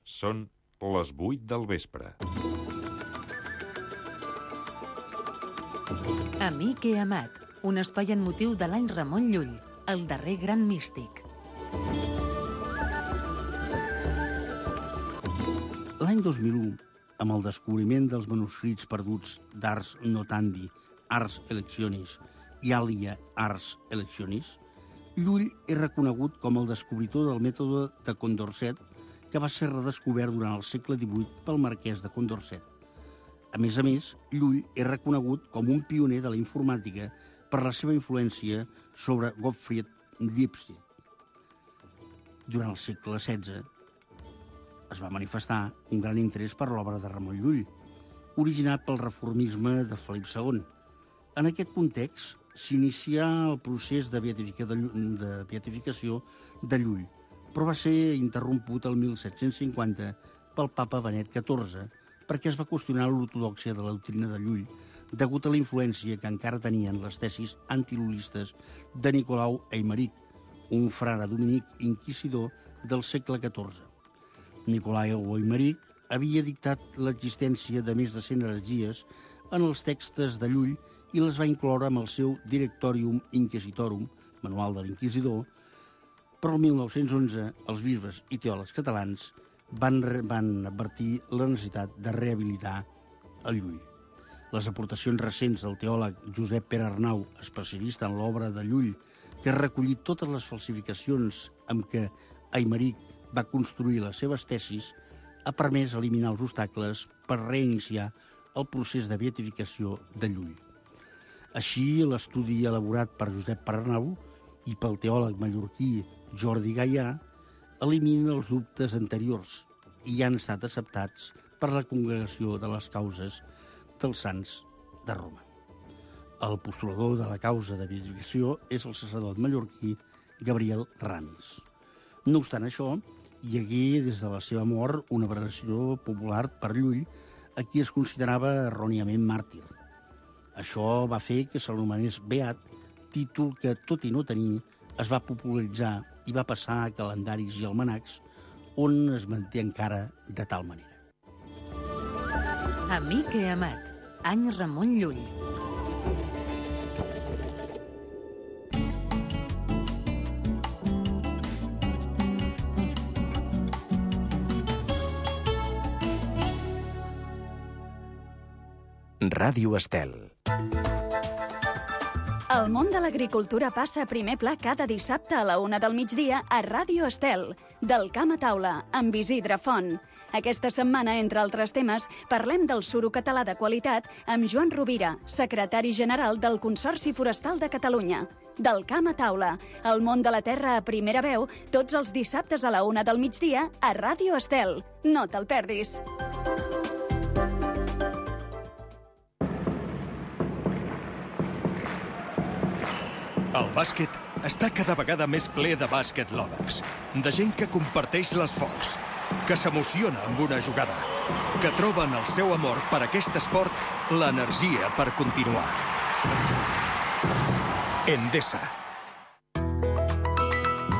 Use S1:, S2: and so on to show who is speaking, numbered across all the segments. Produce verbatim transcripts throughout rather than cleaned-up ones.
S1: Són les vuit del vespre.
S2: Amic i amat, un espai en motiu de l'any Ramon Llull, el darrer gran místic.
S3: L'any dos mil u, amb el descobriment dels manuscrits perduts d'Ars Notandi, Ars Electionis i Alia Ars Electionis, Llull és reconegut com el descobridor del mètode de Condorcet, que va ser redescobert durant el segle divuit pel marquès de Condorcet. A més a més, Llull és reconegut com un pioner de la informàtica per la seva influència sobre Gottfried Leibniz. Durant el segle setze es va manifestar un gran interès per l'obra de Ramon Llull, originat pel reformisme de Felip segon. En aquest context, s'inicià el procés de beatificació de Llull, però va ser interromput el mil set-cents cinquanta pel papa Benet catorze, perquè es va qüestionar l'ortodòxia de la doctrina de Llull, degut a la influència que encara tenien les tesis antilullistes de Nicolau Aimeric, un frare dominic inquisidor del segle catorze. Nicolau Aimeric havia dictat l'existència de més de cent heretgies en els textos de Llull i les va incloure amb el seu Directorium Inquisitorum, manual de l'inquisidor, però el mil nou-cents onze els bisbes i teòlegs catalans van, van advertir la necessitat de rehabilitar el Llull. Les aportacions recents del teòleg Josep Pere Arnau, especialista en l'obra de Llull, que ha recollit totes les falsificacions amb què Aimeric va construir les seves tesis, ha permès eliminar els obstacles per reiniciar el procés de beatificació de Llull. Així, l'estudi elaborat per Josep Pere Arnau i pel teòleg mallorquí Jordi Gaià elimina els dubtes anteriors i han estat acceptats per la Congregació de les Causes dels Sants de Roma. El postulador de la causa de beatificació és el sacerdot mallorquí Gabriel Ramis. No obstant això, hi hagué des de la seva mort una veneració popular per Llull, a qui es considerava erròniament màrtir. Això va fer que se l'anomenés beat, títol que, tot i no tenir, es va popularitzar i va passar a calendaris i almanacs, on es manté encara de tal manera.
S2: Amic i amat, any Ramon Llull.
S4: Ràdio Estel.
S5: El món de l'agricultura passa a primer pla cada dissabte a la una del migdia a Ràdio Estel, del camp a taula, amb Isidre Font. Aquesta setmana, entre altres temes, parlem del suro català de qualitat amb Joan Rovira, secretari general del Consorci Forestal de Catalunya. Del camp a taula, el món de la terra a primera veu, tots els dissabtes a la una del migdia a Ràdio Estel. No te'l perdis.
S6: El bàsquet està cada vegada més ple de bàsquet lovers, de gent que comparteix l'esforç, que s'emociona amb una jugada, que troben el seu amor per aquest esport, l'energia per continuar. Endesa.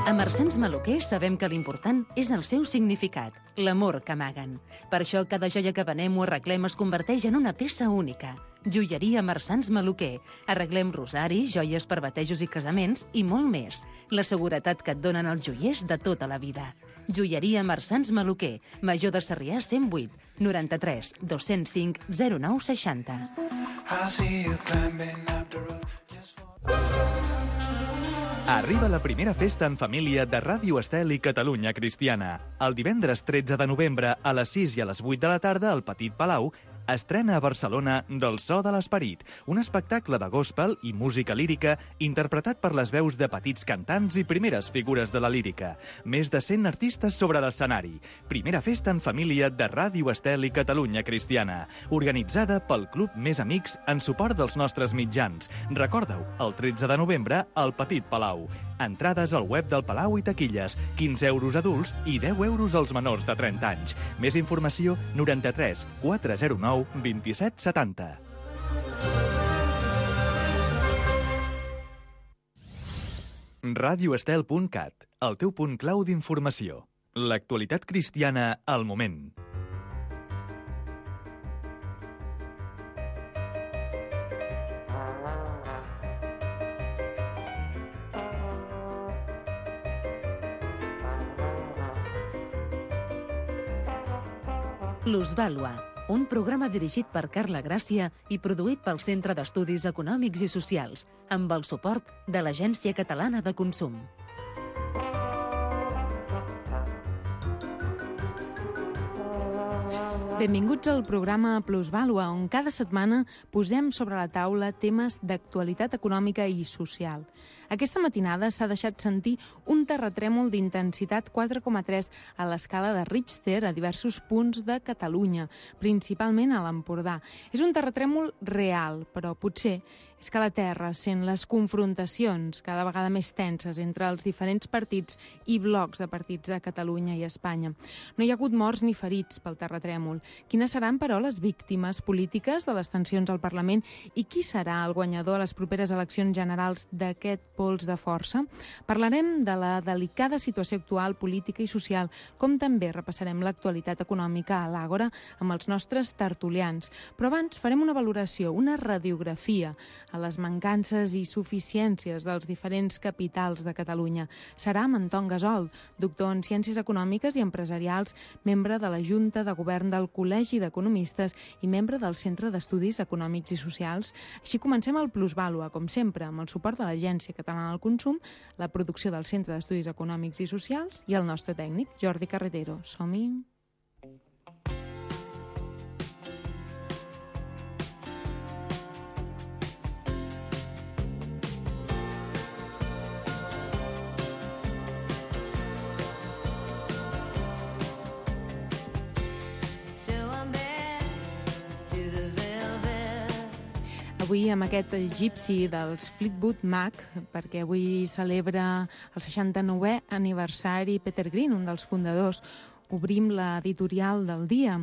S2: A Marsans Maluquer sabem que l'important és el seu significat, l'amor que amaguen. Per això cada joia que venem o arreglem es converteix en una peça única. Joieria Marsans Maluquer. Arreglem rosaris, joies per batejos i casaments i molt més. La seguretat que et donen els joiers de tota la vida. Joieria Marsans Maluquer. Major de Sarrià cent vuit, noranta-tres, dos-cents cinc, zero nou seixanta.
S7: Arriba la primera festa en família de Ràdio Estel i Catalunya Cristiana. El divendres tretze de novembre a les sis i a les vuit de la tarda al Petit Palau estrena a Barcelona Del so de l'esperit, un espectacle de gospel i música lírica interpretat per les veus de petits cantants i primeres figures de la lírica. Més de cent artistes sobre l'escenari. Primera festa en família de Ràdio Estel i Catalunya Cristiana, organitzada pel Club Més Amics en suport dels nostres mitjans. Recorda-ho, el tretze de novembre al Petit Palau. Entrades al web del Palau i taquilles, quinze euros adults i deu euros als menors de trenta anys. Més informació, noranta-tres, quatre zero nou, vint-i-set setanta. radioestel punt cat, el teu punt clau d'informació. L'actualitat cristiana al moment.
S2: Plusvàlua, un programa dirigit per Carla Gràcia i produït pel Centre d'Estudis Econòmics i Socials, amb el suport de l'Agència Catalana de Consum.
S4: Benvinguts al programa Plusvàlua, on cada setmana posem sobre la taula temes d'actualitat econòmica i social. Aquesta matinada s'ha deixat sentir un terratrèmol d'intensitat quatre coma tres a l'escala de Richter a diversos punts de Catalunya, principalment a l'Empordà. És un terratrèmol real, però potser és que la Terra sent les confrontacions cada vegada més tenses entre els diferents partits i blocs de partits de Catalunya i Espanya. No hi ha hagut morts ni ferits pel terratrèmol. Quines seran, però, les víctimes polítiques de les tensions al Parlament i qui serà el guanyador a les properes eleccions generals d'aquest pols de força? Parlarem de la delicada situació actual política i social, com també repassarem l'actualitat econòmica a l'Àgora amb els nostres tertulians. Però abans farem una valoració, una radiografia a les mancances i suficiències dels diferents capitals de Catalunya. Serà amb Anton Gasol, doctor en Ciències Econòmiques i Empresarials, membre de la Junta de Govern del Col·legi d'Economistes i membre del Centre d'Estudis Econòmics i Socials. Així comencem el Plusvàlua, com sempre, amb el suport de l'Agència Catalana del Consum, la producció del Centre d'Estudis Econòmics i Socials i el nostre tècnic, Jordi Carretero. Som-hi! Avui amb aquest egipci dels Fleetwood Mac, perquè avui celebra el seixanta-nouè aniversari Peter Green, un dels fundadors, obrim l'editorial del dia.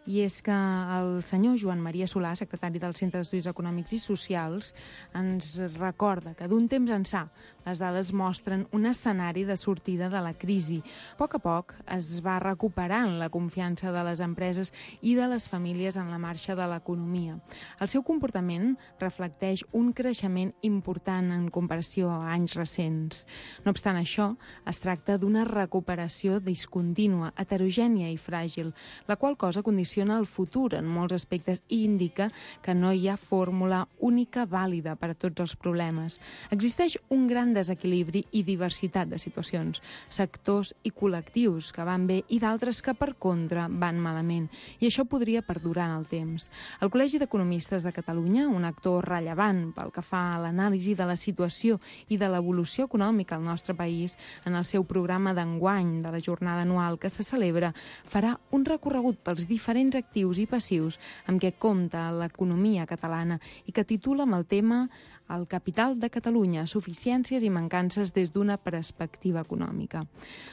S4: I és que el senyor Joan Maria Solà, secretari del Centre d'Estudis Econòmics i Socials, ens recorda que d'un temps ençà les dades mostren un escenari de sortida de la crisi. A poc a poc es va recuperant la confiança de les empreses i de les famílies en la marxa de l'economia. El seu comportament reflecteix un creixement important en comparació a anys recents. No obstant això, es tracta d'una recuperació discontínua, heterogènia i fràgil, la qual cosa condiciona el futur en molts aspectes i indica que no hi ha fórmula única vàlida per a tots els problemes. Existeix un gran desequilibri i diversitat de situacions, sectors i col·lectius que van bé i d'altres que, per contra, van malament. I això podria perdurar en el temps. El Col·legi d'Economistes de Catalunya, un actor rellevant pel que fa a l'anàlisi de la situació i de l'evolució econòmica al nostre país, en el seu programa d'enguany de la jornada anual que se celebra, farà un recorregut pels diferents actius i passius amb què compta l'economia catalana i que titula amb el tema El capital de Catalunya, suficiències i mancances des d'una perspectiva econòmica.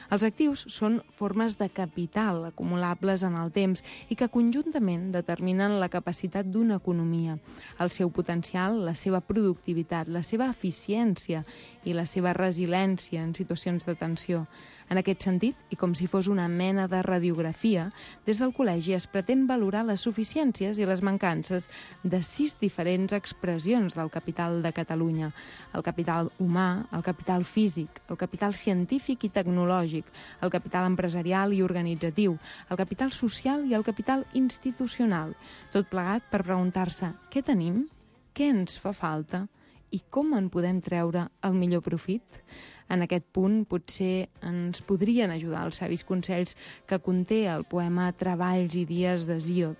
S4: Els actius són formes de capital acumulables en el temps i que conjuntament determinen la capacitat d'una economia, el seu potencial, la seva productivitat, la seva eficiència i la seva resiliència en situacions de tensió. En aquest sentit, i com si fos una mena de radiografia, des del col·legi es pretén valorar les suficiències i les mancances de sis diferents expressions del capital de Catalunya: el capital humà, el capital físic, el capital científic i tecnològic, el capital empresarial i organitzatiu, el capital social i el capital institucional. Tot plegat per preguntar-se què tenim, què ens fa falta i com en podem treure el millor profit. En aquest punt potser ens podrien ajudar els savis consells que conté el poema Treballs i dies d'Hesíod,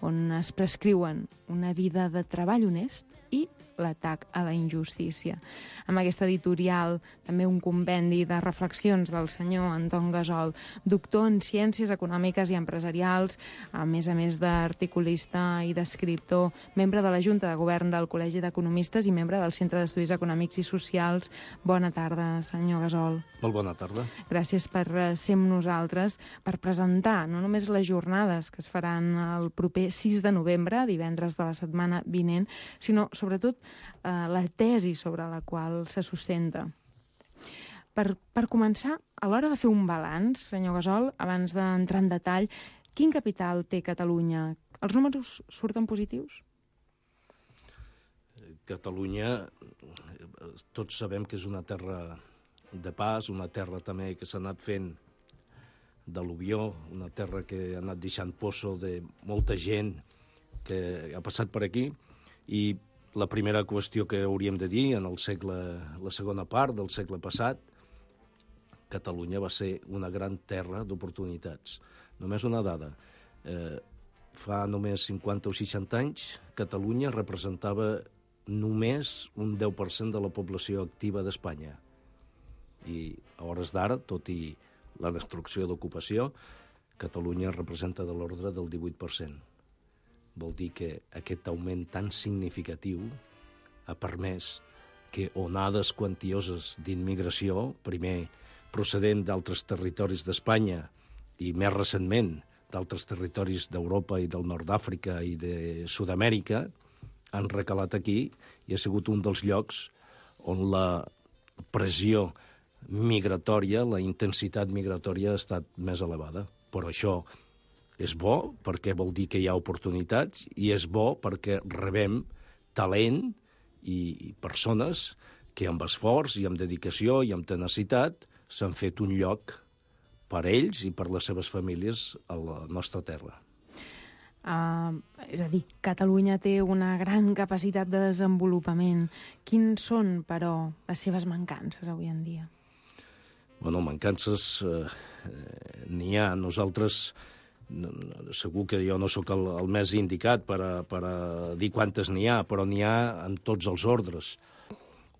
S4: on es prescriuen una vida de treball honest i l'atac a la injustícia. Amb aquesta editorial, també un compendi de reflexions del senyor Anton Gasol, doctor en Ciències Econòmiques i Empresarials, a més a més d'articulista i d'escriptor, membre de la Junta de Govern del Col·legi d'Economistes i membre del Centre d'Estudis Econòmics i Socials. Bona tarda, senyor Gasol.
S8: Molt bona tarda.
S4: Gràcies per ser amb nosaltres, per presentar no només les jornades que es faran el proper sis de novembre, divendres de la setmana vinent, sinó, sobretot, eh, la tesi sobre la qual se sustenta. Per, per començar, a l'hora de fer un balanç, senyor Gasol, abans d'entrar en detall, quin capital té Catalunya? Els números surten positius?
S8: Catalunya, tots sabem que és una terra de pas, una terra també que s'ha anat fent d'al·luvió, una terra que ha anat deixant poço de molta gent que ha passat per aquí, i la primera qüestió que hauríem de dir, en el segle, la segona part del segle passat, Catalunya va ser una gran terra d'oportunitats. Només una dada. Eh, fa només cinquanta o seixanta anys, Catalunya representava només un deu per cent de la població activa d'Espanya. I a hores d'ara, tot i la destrucció d'ocupació, Catalunya representa de l'ordre del divuit per cent. Vol dir que aquest augment tan significatiu ha permès que onades quantioses d'immigració, primer procedent d'altres territoris d'Espanya i més recentment d'altres territoris d'Europa i del nord d'Àfrica i de Sud-amèrica, han recalat aquí i ha sigut un dels llocs on la pressió migratòria, la intensitat migratòria ha estat més elevada. Però això és bo perquè vol dir que hi ha oportunitats i és bo perquè rebem talent i persones que amb esforç i amb dedicació i amb tenacitat s'han fet un lloc per ells i per les seves famílies a la nostra terra.
S4: Uh, és a dir, Catalunya té una gran capacitat de desenvolupament. Quins són, però, les seves mancances avui en dia?
S8: Bueno, mancances eh, n'hi ha. Nosaltres, segur que jo no sóc el, el més indicat per a, per a dir quantes n'hi ha, però n'hi ha en tots els ordres.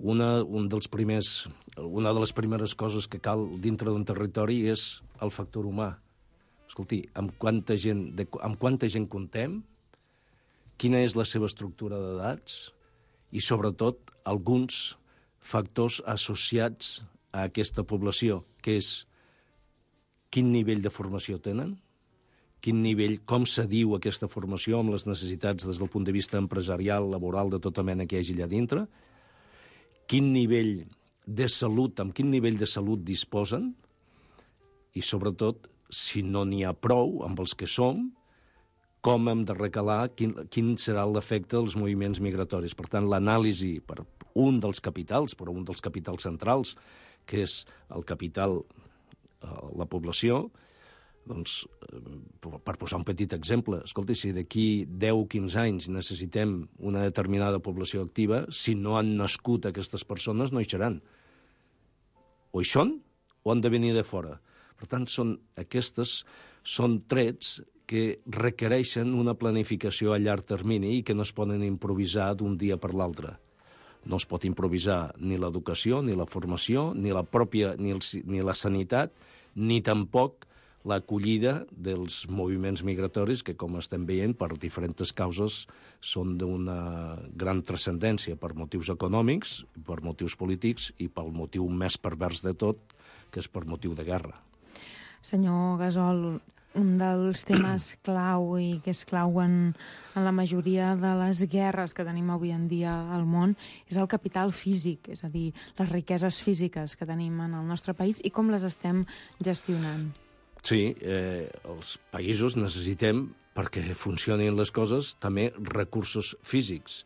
S8: Una, un dels primers, una de les primeres coses que cal dintre d'un territori és el factor humà. Escolti, amb quanta gent, de, amb quanta gent comptem, quina és la seva estructura d'edats i, sobretot, alguns factors associats a aquesta població, que és quin nivell de formació tenen, quin nivell, com se diu aquesta formació amb les necessitats des del punt de vista empresarial, laboral, de tota mena que hi hagi allà dintre, quin nivell de salut, amb quin nivell de salut disposen i, sobretot, si no n'hi ha prou amb els que som, com hem de recalar, quin, quin serà l'efecte dels moviments migratoris. Per tant, l'anàlisi per un dels capitals, però un dels capitals centrals, que és el capital, eh, la població, doncs, per posar un petit exemple, escolti, si d'aquí deu o quinze anys necessitem una determinada població activa, si no han nascut aquestes persones, no hi seran. O hi són, o han de venir de fora. Per tant, són, aquestes són trets que requereixen una planificació a llarg termini i que no es poden improvisar d'un dia per l'altre. No es pot improvisar ni l'educació, ni la formació, ni la pròpia, ni, el, ni la sanitat, ni tampoc l'acollida dels moviments migratoris que, com estem veient, per diferents causes són d'una gran transcendència per motius econòmics, per motius polítics i pel motiu més pervers de tot, que és per motiu de guerra.
S4: Senyor Gasol, un dels temes clau i que és clau en, en la majoria de les guerres que tenim avui en dia al món és el capital físic, és a dir, les riqueses físiques que tenim en el nostre país i com les estem gestionant.
S8: Sí, eh, els països necessitem, perquè funcionin les coses, també recursos físics.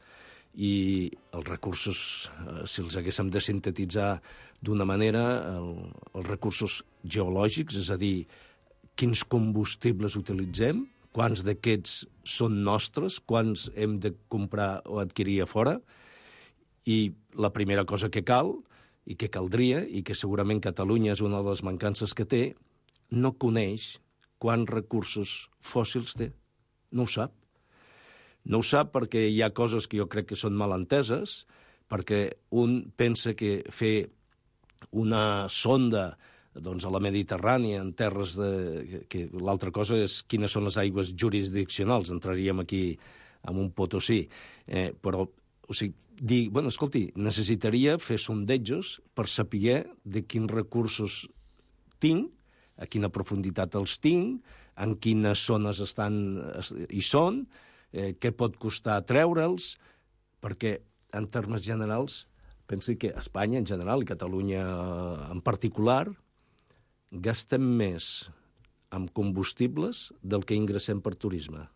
S8: I els recursos, eh, si els haguéssim de sintetitzar d'una manera, el, els recursos geològics, és a dir, quins combustibles utilitzem, quants d'aquests són nostres, quants hem de comprar o adquirir a fora, i la primera cosa que cal, i que caldria, i que segurament Catalunya és una de les mancances que té, no coneix quants recursos fòssils té. No ho sap. No ho sap perquè hi ha coses que jo crec que són mal enteses, perquè un pensa que fer una sonda doncs, a la Mediterrània, en terres de... que l'altra cosa és quines són les aigües jurisdiccionals, entraríem aquí amb un Potosí. Eh, però, o sigui, dir, bueno, escolti, necessitaria fer sondejos per saber de quins recursos tinc, a quina profunditat els tinc, en quines zones estan, hi són, eh, què pot costar treure'ls, perquè, en termes generals, pensi que Espanya en general i Catalunya en particular gastem més amb combustibles del que ingressem per turisme,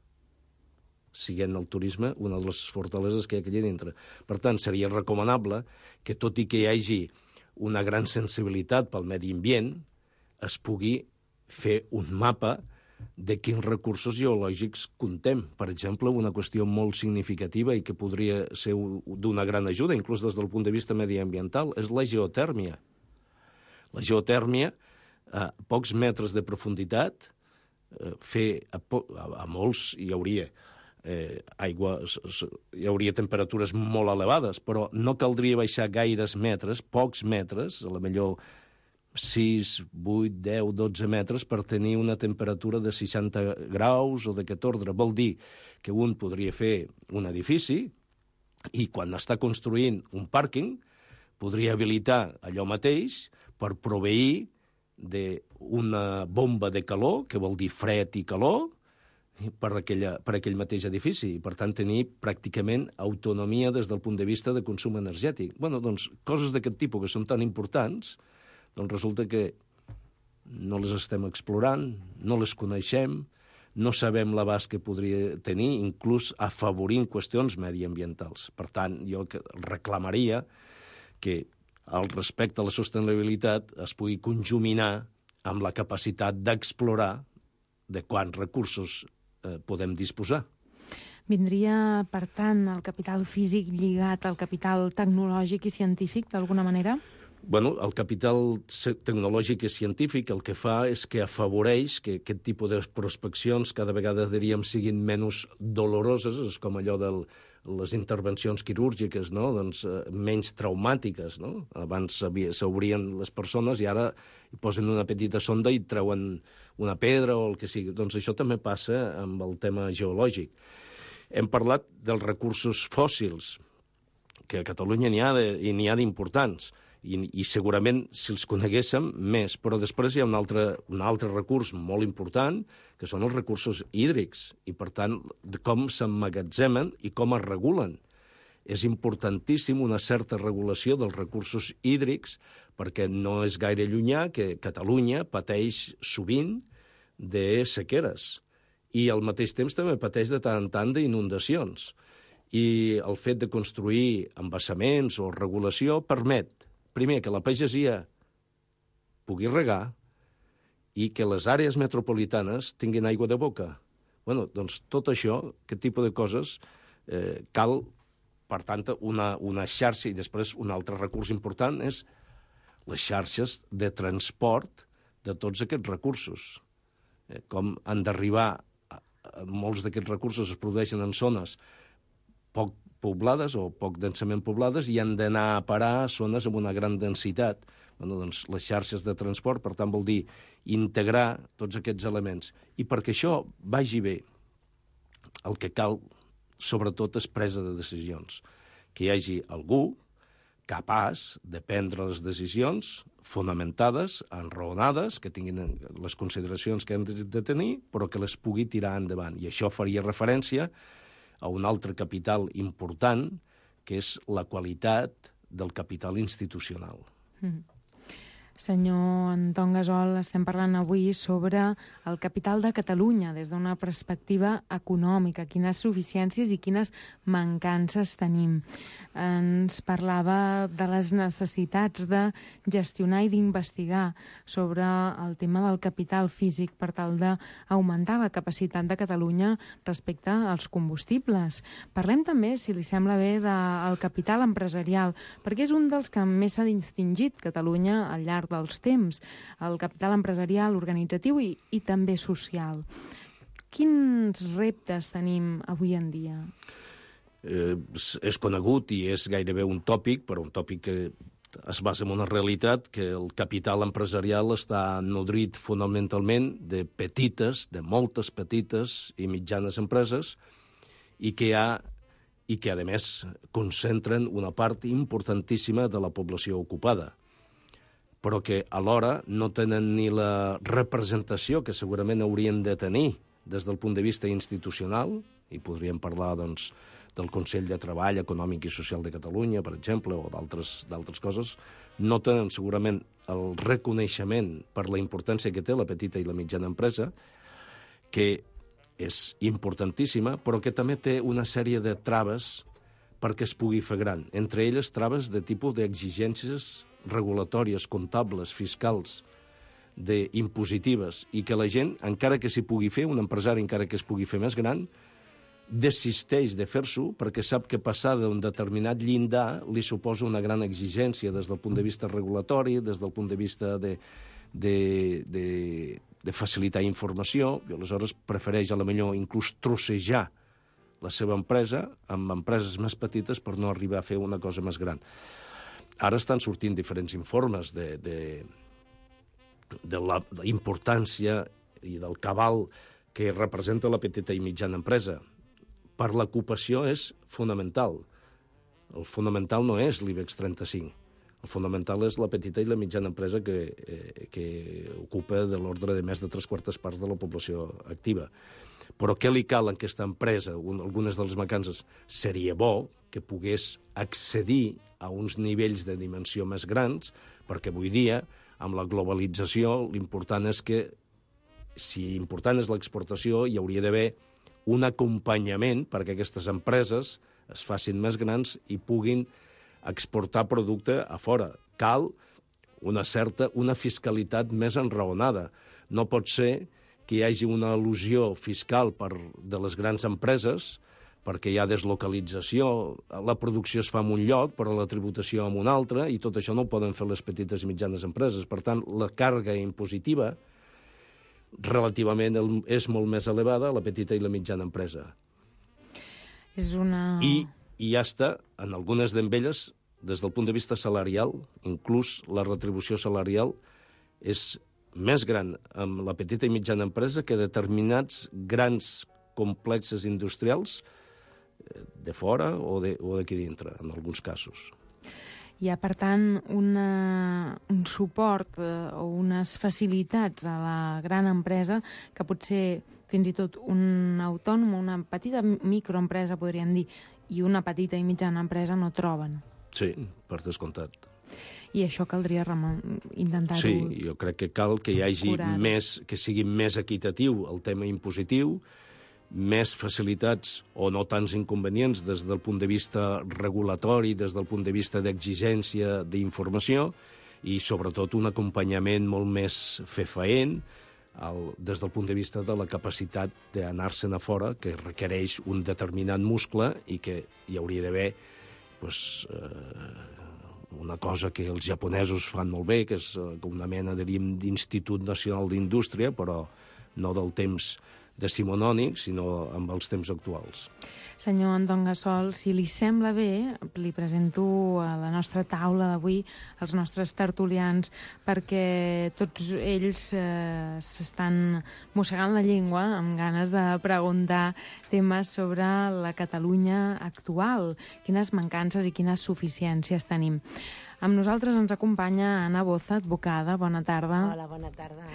S8: siguent el turisme una de les fortaleses que hi ha aquí dintre. Per tant, seria recomanable que, tot i que hi hagi una gran sensibilitat pel medi ambient, es pugui fer un mapa de quins recursos geològics contem. Per exemple, una qüestió molt significativa i que podria ser d'una gran ajuda, inclús des del punt de vista mediambiental, és la geotèrmia. La geotèrmia, a pocs metres de profunditat, fer a, po a, a molts hi hauria eh, aigua, hi hauria temperatures molt elevades, però no caldria baixar gaires metres, pocs metres, a la millor sis, vuit, deu, dotze metres per tenir una temperatura de seixanta graus o d'aquest ordre. Vol dir que un podria fer un edifici i quan està construint un pàrquing podria habilitar allò mateix per proveir d'una bomba de calor, que vol dir fred i calor, per, aquella, per aquell mateix edifici, i per tant tenir pràcticament autonomia des del punt de vista de consum energètic. Bueno, doncs, coses d'aquest tipus que són tan importants, doncs resulta que no les estem explorant, no les coneixem, no sabem l'abast que podria tenir, inclús afavorint qüestions mediambientals. Per tant, jo reclamaria que el respecte a la sostenibilitat es pugui conjuminar amb la capacitat d'explorar de quants recursos eh, podem disposar.
S4: Vindria, per tant, el capital físic lligat al capital tecnològic i científic, d'alguna manera?
S8: Bueno, el capital tecnològic i científic el que fa és que afavoreix que aquest tipus de prospeccions cada vegada, diríem, siguin menys doloroses, és com allò de les intervencions quirúrgiques, no? Doncs, eh, menys traumàtiques, no? Abans s'obrien les persones i ara hi posen una petita sonda i treuen una pedra o el que sigui. Doncs això també passa amb el tema geològic. Hem parlat dels recursos fòssils, que a Catalunya n'hi ha de, i n'hi ha d'importants. I, i segurament si els coneguéssim més, però després hi ha un altre, un altre recurs molt important, que són els recursos hídrics, i per tant de com s'emmagatzemen i com es regulen. És importantíssim una certa regulació dels recursos hídrics, perquè no és gaire llunyà que Catalunya pateix sovint de sequeres, i al mateix temps també pateix de tant en tant d'inundacions. I el fet de construir embassaments o regulació permet primer, que la pagesia pugui regar i que les àrees metropolitanes tinguin aigua de boca. Bueno, doncs tot això, aquest tipus de coses, eh, cal, per tant, una, una xarxa, i després un altre recurs important és les xarxes de transport de tots aquests recursos. Eh, com han d'arribar, molts d'aquests recursos es produeixen en zones poc poblades o poc densament poblades i han d'anar a parar a zones amb una gran densitat. Bueno, doncs, les xarxes de transport, per tant, vol dir integrar tots aquests elements. I perquè això vagi bé, el que cal, sobretot, és presa de decisions. Que hi hagi algú capaç de prendre les decisions fonamentades, enraonades, que tinguin les consideracions que hem de tenir, però que les pugui tirar endavant. I això faria referència a un altre capital important, que és la qualitat del capital institucional.
S4: Mm. Senyor Anton Gasol, estem parlant avui sobre el capital de Catalunya des d'una perspectiva econòmica, quines suficiències i quines mancances tenim. Ens parlava de les necessitats de gestionar i d'investigar sobre el tema del capital físic per tal d'augmentar la capacitat de Catalunya respecte als combustibles. Parlem també, si li sembla bé, del capital empresarial, perquè és un dels que més s'ha distingit Catalunya al llarg dels temps, el capital empresarial, organitzatiu i, i també social. Quins reptes tenim avui en dia?
S8: Eh, és conegut i és gairebé un tòpic, però un tòpic que es basa en una realitat, que el capital empresarial està nodrit fonamentalment de petites, de moltes petites i mitjanes empreses, i que hi ha i que, a més, concentren una part importantíssima de la població ocupada, però que alhora no tenen ni la representació que segurament haurien de tenir des del punt de vista institucional, i podríem parlar, doncs, del Consell de Treball Econòmic i Social de Catalunya, per exemple, o d'altres coses, no tenen segurament el reconeixement per la importància que té la petita i la mitjana empresa, que és importantíssima, però que també té una sèrie de traves perquè es pugui fer gran. Entre elles, traves de tipus d'exigències regulatòries, comptables, fiscals, d'impositives, i que la gent, encara que s'hi pugui fer, un empresari encara que es pugui fer més gran, desisteix de fer-s'ho perquè sap que passar d'un determinat llindar li suposa una gran exigència des del punt de vista regulatori, des del punt de vista de, de, de, de facilitar informació, i aleshores prefereix a la millor inclús trossejar la seva empresa amb empreses més petites per no arribar a fer una cosa més gran. Ara estan sortint diferents informes de, de, de la importància i del cabal que representa la petita i mitjana empresa. Per l'ocupació és fonamental. El fonamental no és l'IBEX trenta-cinc. El fonamental és la petita i la mitjana empresa que, eh, que ocupa de l'ordre de més de tres quartes parts de la població activa. Però què li cal a aquesta empresa? Algunes de les mancances seria bo que pogués accedir a uns nivells de dimensió més grans, perquè avui dia, amb la globalització, l'important és que, si important és l'exportació, hi hauria d'haver un acompanyament perquè aquestes empreses es facin més grans i puguin exportar producte a fora. Cal una certa, una fiscalitat més enraonada. No pot ser que hi hagi una al·lusió fiscal per, de les grans empreses perquè hi ha deslocalització, la producció es fa en un lloc, però la tributació en un altre, i tot això no ho poden fer les petites i mitjanes empreses. Per tant, la càrrega impositiva relativament és molt més elevada a la petita i la mitjana empresa.
S4: És una...
S8: I, i ja està, en algunes d'elles, des del punt de vista salarial, inclús la retribució salarial és més gran amb la petita i mitjana empresa que determinats grans complexes industrials de fora o d'aquí dintre, en alguns casos.
S4: Hi ha, per tant, una, un suport eh, o unes facilitats a la gran empresa que potser fins i tot un autònom, una petita microempresa, podríem dir, i una petita i mitjana empresa no troben.
S8: Sí, per descomptat.
S4: I això caldria intentar-ho...
S8: Sí, jo crec que cal que hi hagi més, que sigui més equitatiu el tema impositiu, més facilitats o no tants inconvenients des del punt de vista regulatori, des del punt de vista d'exigència d'informació i, sobretot, un acompanyament molt més fefaent el, des del punt de vista de la capacitat d'anar-se'n a fora, que requereix un determinat muscle i que hi hauria d'haver pues, eh, una cosa que els japonesos fan molt bé, que és una mena, diríem, d'Institut Nacional d'Indústria, però no del temps decimonònic, sinó amb els temps actuals.
S4: Senyor Anton Gassol, si li sembla bé, li presento a la nostra taula d'avui els nostres tertulians, perquè tots ells eh, s'estan mossegant la llengua amb ganes de preguntar temes sobre la Catalunya actual, quines mancances i quines suficiències tenim. Amb nosaltres ens acompanya Anna Boza, advocada. Bona tarda.
S9: Hola, bona tarda.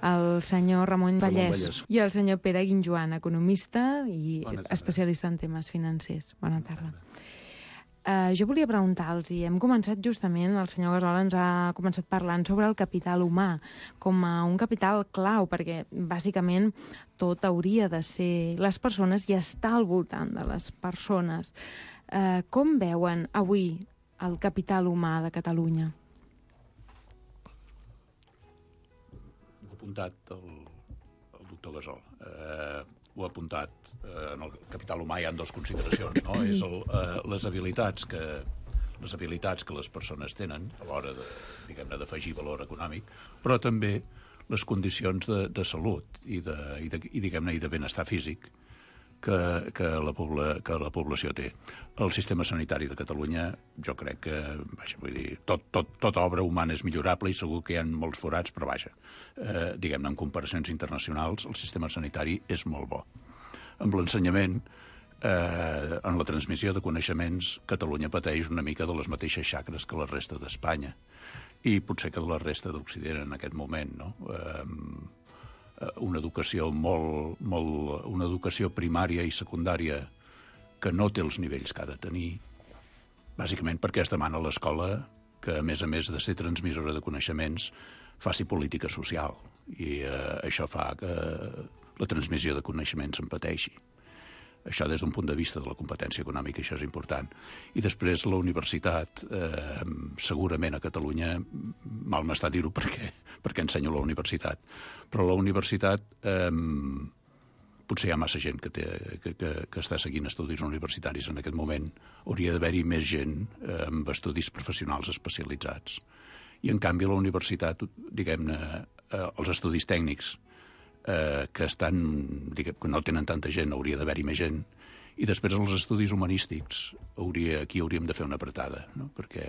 S4: El senyor Ramon Vallès,
S8: Vallès
S4: i el senyor Pere Guinjoan, economista i especialista en temes financers. Bona tarda. Uh, jo volia preguntar-los, i hem començat justament, el senyor Gassol ens ha començat parlant sobre el capital humà com a un capital clau, perquè bàsicament tot hauria de ser les persones i estar al voltant de les persones. Uh, com veuen avui el capital humà de Catalunya?
S10: Ho ha apuntat el, el doctor Gassol. Eh, ho ha apuntat. Eh, en el capital humà hi ha dues consideracions, no? És el, eh, les habilitats que les habilitats que les persones tenen a l'hora de, diguem-ne, d'afegir valor econòmic, però també les condicions de, de salut i, de, i, de, i diguem-ne, i de benestar físic que, que, la pobla, que la població té. El sistema sanitari de Catalunya, jo crec que, vaja, vull dir, tot, tot, tota obra humana és millorable i segur que hi ha molts forats, però vaja, eh, diguem-ne, en comparacions internacionals, el sistema sanitari és molt bo. Amb l'ensenyament, eh, en la transmissió de coneixements, Catalunya pateix una mica de les mateixes xacres que la resta d'Espanya i potser que de la resta d'Occident en aquest moment, no? Eh, una educació molt, molt, una educació primària i secundària que no té els nivells que ha de tenir, bàsicament perquè es demana a l'escola que, a més a més de ser transmissora de coneixements, faci política social. I eh, això fa que la transmissió de coneixements en pateixi. Això des d'un punt de vista de la competència econòmica, això és important. I després la universitat, eh, segurament a Catalunya, mal m'està dir-ho perquè, perquè ensenyo a la universitat, però la universitat eh, potser hi ha massa gent que, té, que, que, que està seguint estudis universitaris en aquest moment. Hauria d'haver-hi més gent eh, amb estudis professionals especialitzats. I, en canvi, la universitat, diguem-ne, eh, els estudis tècnics, Eh, que estan, diguem, que no tenen tanta gent, hauria d'haver-hi més gent, i després els estudis humanístics, hauria, aquí hauríem de fer una apretada, no? Perquè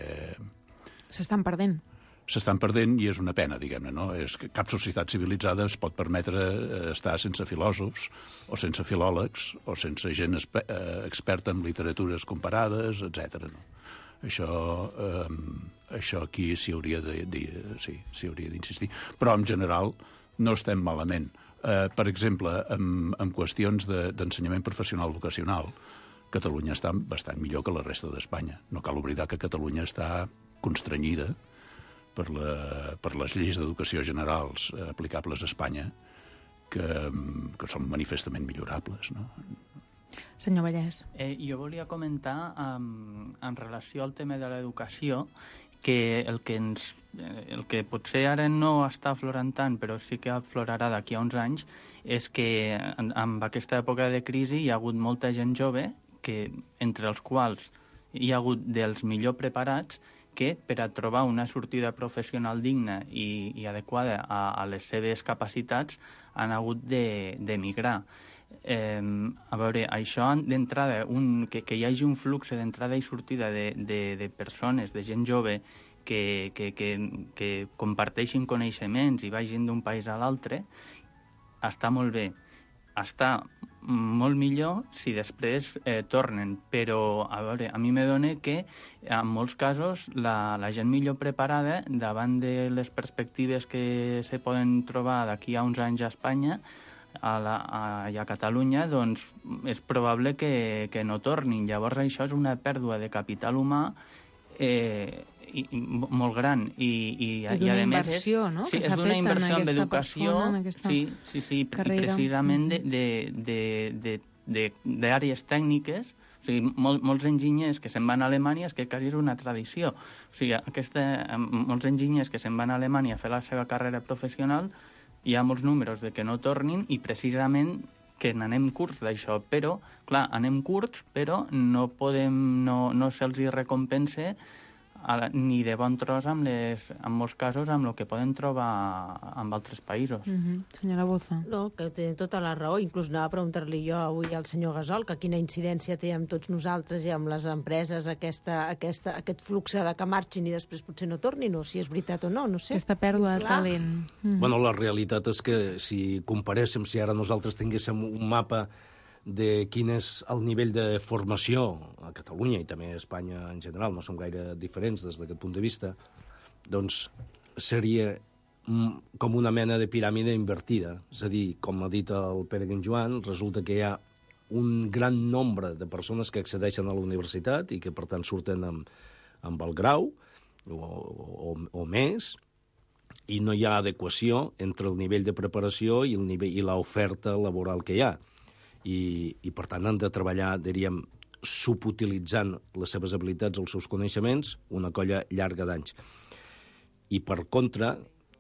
S4: s'estan perdent.
S10: S'estan perdent i és una pena, diguem-ne, no? És que cap societat civilitzada es pot permetre estar sense filòsofs, o sense filòlegs, o sense gent exper eh, experta en literatures comparades, etcètera. No? Això, eh, això aquí s'hi hauria de, de, sí, s'hi hauria d'insistir. Però, en general, no estem malament. Eh, per exemple, en, en qüestions d'ensenyament de, professional vocacional, Catalunya està bastant millor que la resta d'Espanya. No cal oblidar que Catalunya està constrenyida per, la, per les lleis d'educació generals eh, aplicables a Espanya, que, que són manifestament millorables, no?
S4: Senyor Vallès.
S9: Eh, jo volia comentar, um, en relació al tema de l'educació, que el que ens el que potser ara no està aflorant tant, però sí que aflorarà d'aquí a uns anys, és que en, en aquesta època de crisi hi ha hagut molta gent jove, que, entre els quals hi ha hagut dels millor preparats, que per a trobar una sortida professional digna i, i adequada a, a les seves capacitats han hagut d'emigrar. Eh, a veure, això d'entrada, que, que hi hagi un flux d'entrada i sortida de, de, de persones, de gent jove, que, que, que, que comparteixin coneixements i vagin d'un país a l'altre, està molt bé. Està molt millor si després eh, tornen, però a veure, a mi me dona que en molts casos la, la gent millor preparada, davant de les perspectives que se poden trobar d'aquí a uns anys a Espanya, a, la, a, a Catalunya, doncs és probable que, que no tornin. Llavors això és una pèrdua de capital humà eh, i, i, molt gran. I, i,
S4: I d'una inversió, és, no?
S9: Sí,
S4: que
S9: és d'una inversió en educació,
S4: en
S9: sí, sí, sí, carrera. Precisament d'àrees tècniques. O sigui, mol, molts enginyers que se'n van a Alemanya és que quasi és una tradició. O sigui, aquesta, molts enginyers que se'n van a Alemanya a fer la seva carrera professional, hi ha molts números de que no tornin i precisament que n'anem curts d'això. Però, clar, anem curts, però no podem, no, no se'ls hi recompensa a, ni de bon tros amb les, en molts casos amb el que poden trobar en altres països.
S4: Mm-hmm. Senyora Boza.
S11: No, que té tota la raó. Inclús anava a preguntar-li jo avui al senyor Gasol que quina incidència té amb tots nosaltres i amb les empreses aquesta, aquesta, aquest flux de que marxin i després potser no tornin, o si és veritat o no, no sé.
S4: Aquesta pèrdua de talent.
S8: Mm. Bueno, la realitat és que si comparéssim, si ara nosaltres tinguéssim un mapa de quin és el nivell de formació a Catalunya i també a Espanya en general, no som gaire diferents des d'aquest punt de vista, doncs seria com una mena de piràmide invertida. És a dir, com ha dit el Pere Guinjoan, resulta que hi ha un gran nombre de persones que accedeixen a la universitat i que, per tant, surten amb, amb el grau o, o, o més, i no hi ha adequació entre el nivell de preparació i el nivell i l'oferta laboral que hi ha. I, i per tant han de treballar, diríem, subutilitzant les seves habilitats, els seus coneixements, una colla llarga d'anys. I per contra,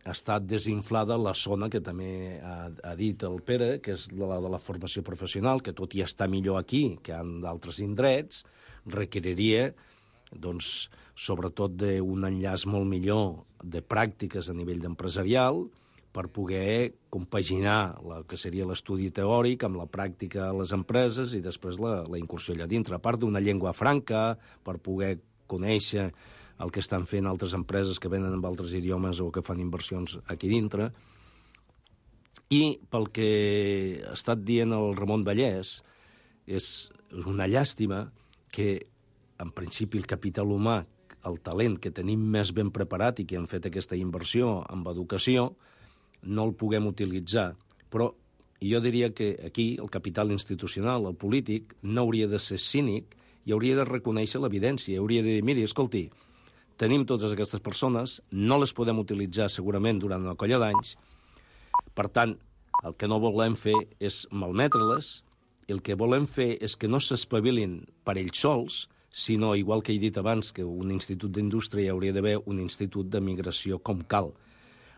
S8: ha estat desinflada la zona que també ha, ha dit el Pere, que és la de la formació professional, que tot i estar millor aquí que en d'altres indrets, requeriria, doncs, sobretot d'un enllaç molt millor de pràctiques a nivell empresarial, per poder compaginar el que seria l'estudi teòric amb la pràctica a les empreses i després la, la incursió allà dintre. A part d'una llengua franca, per poder conèixer el que estan fent altres empreses que venen amb altres idiomes o que fan inversions aquí dintre. I pel que ha estat dient el Ramon Vallès, és una llàstima que, en principi, el capital humà, el talent que tenim més ben preparat i que han fet aquesta inversió en educació, no el puguem utilitzar Però jo diria que aquí el capital institucional, el polític, no hauria de ser cínic i hauria de reconèixer l'evidència. Hauria de dir, miri, escolti, tenim totes aquestes persones, no les podem utilitzar segurament durant una colla d'anys, per tant, el que no volem fer és malmetre-les, el que volem fer és que no s'espavilin per ells sols, sinó, igual que he dit abans, que un institut d'indústria hi hauria d'haver un institut de migració com cal,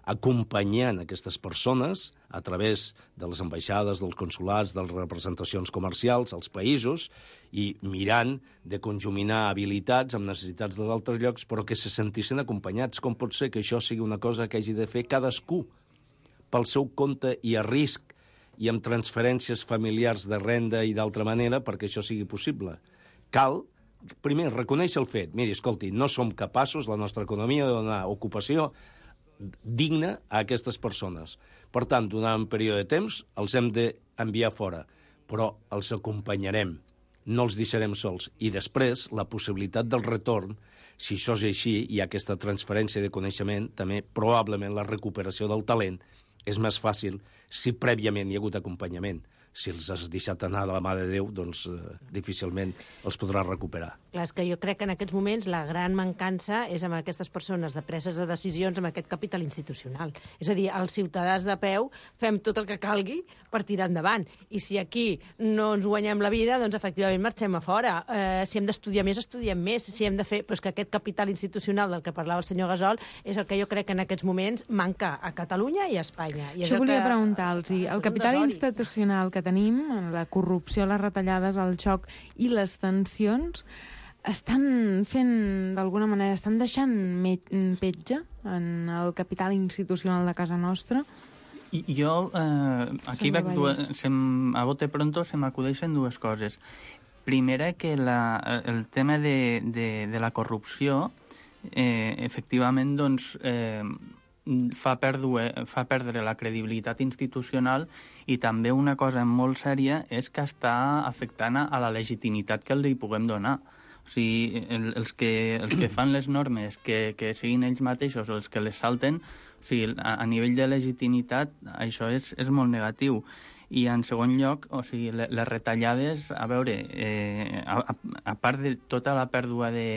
S8: acompanyant aquestes persones a través de les ambaixades, dels consulats, de les representacions comercials als països i mirant de conjuminar habilitats amb necessitats dels altres llocs, però que se sentissin acompanyats. Com pot ser que això sigui una cosa que hagi de fer cadascú pel seu compte i a risc i amb transferències familiars de renda i d'altra manera perquè això sigui possible? Cal, primer, reconèixer el fet. Miri, escolti, no som capaços, la nostra economia, de donar ocupació digna a aquestes persones. Per tant, durant un període de temps els hem d'enviar fora, però els acompanyarem, no els deixarem sols. I després, la possibilitat del retorn, si això és així, hi ha aquesta transferència de coneixement, també probablement la recuperació del talent és més fàcil si prèviament hi ha hagut acompanyament. Si els has deixat anar de la mà de Déu, doncs eh, difícilment els podràs recuperar.
S11: Clar, és que jo crec que en aquests moments la gran mancança és amb aquestes persones de preses de decisions amb aquest capital institucional. És a dir, els ciutadans de peu fem tot el que calgui per tirar endavant. I si aquí no ens guanyem la vida, doncs efectivament marxem a fora. Eh, si hem d'estudiar més, estudiem més. Si hem de fer... Però és que aquest capital institucional del que parlava el senyor Gasol és el que jo crec que en aquests moments manca a Catalunya i a Espanya. I
S4: Això volia
S11: que...
S4: preguntar-los. El capital institucional que tenim, la corrupció, les retallades, el xoc i les tensions, estan fent, d'alguna manera, estan deixant petja en el capital institucional de casa nostra?
S9: I jo, eh, aquí veig dues, sem, a bote pronto se m'acudeixen dues coses. Primera, que la, el tema de, de, de la corrupció, eh, efectivament, doncs, eh, fa perdre, fa perdre la credibilitat institucional i també una cosa molt sèria és que està afectant a la legitimitat que li puguem donar. O sigui, el, els, que, els que fan les normes, que, que siguin ells mateixos o els que les salten, o sigui, a, a nivell de legitimitat això és, és molt negatiu. I en segon lloc, o sigui, les, les retallades, a veure, eh, a, a part de tota la pèrdua de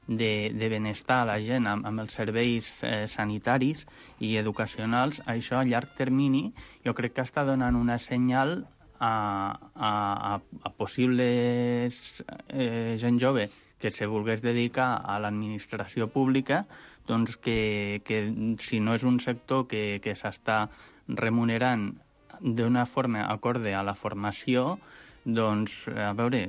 S9: De, de benestar a la gent amb, amb els serveis eh, sanitaris i educacionals, això a llarg termini jo crec que està donant una senyal a, a, a, a possibles eh, gent jove que se volgués dedicar a l'administració pública, doncs que, que si no és un sector que, que s'està remunerant d'una forma acorde a la formació, doncs, a veure,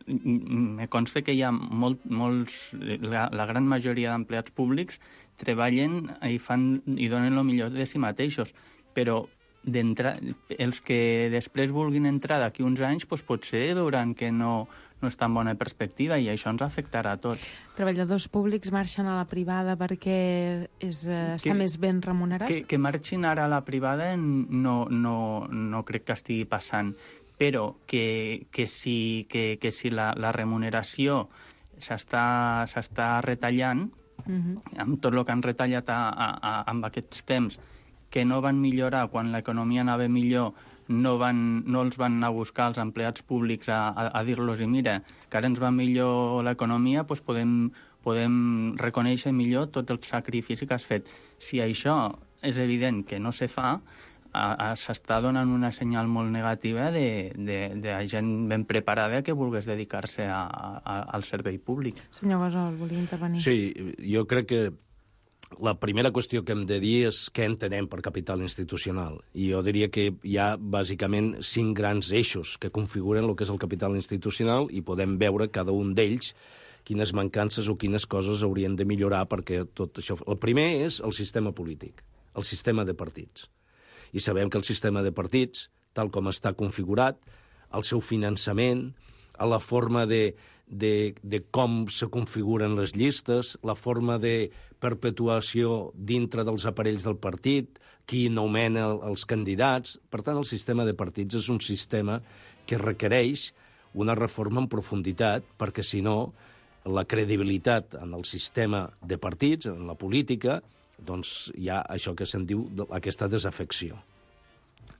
S9: me consta que hi ha molt, molts, la, la gran majoria d'empleats públics treballen i, fan, i donen el millor de si mateixos, però els que després vulguin entrar d'aquí uns anys, doncs potser veuran que no, no és tan bona perspectiva i això ens afectarà a tots.
S4: Treballadors públics marxen a la privada perquè és, eh, està que, més ben remunerat?
S9: Que, que marxin ara a la privada no, no, no crec que estigui passant, però que, que si, que, que si la, la remuneració s'està retallant, uh-huh. amb tot el que han retallat a, a, a, amb aquests temps, que no van millorar quan l'economia anava millor, no, van, no els van anar a buscar els empleats públics a, a, a dir-los i mira, que ara ens va millor l'economia, doncs podem, podem reconèixer millor tot el sacrifici que has fet. Si això és evident que no se fa, s'està donant una senyal molt negativa de, de, de gent ben preparada que volgués dedicar-se a, a, al servei públic.
S4: Senyor Gasol, volia intervenir.
S8: Sí, jo crec que la primera qüestió que hem de dir és què entenem per capital institucional. I jo diria que hi ha bàsicament cinc grans eixos que configuren el que és el capital institucional i podem veure cada un d'ells quines mancances o quines coses haurien de millorar perquè tot això... El primer és el sistema polític, el sistema de partits. I sabem que el sistema de partits, tal com està configurat, el seu finançament, la forma de, de, de com se configuren les llistes, la forma de perpetuació dintre dels aparells del partit, qui nomena els candidats. Per tant, el sistema de partits és un sistema que requereix una reforma en profunditat, perquè, si no, la credibilitat en el sistema de partits, en la política, doncs hi ha això que se'n diu aquesta desafecció.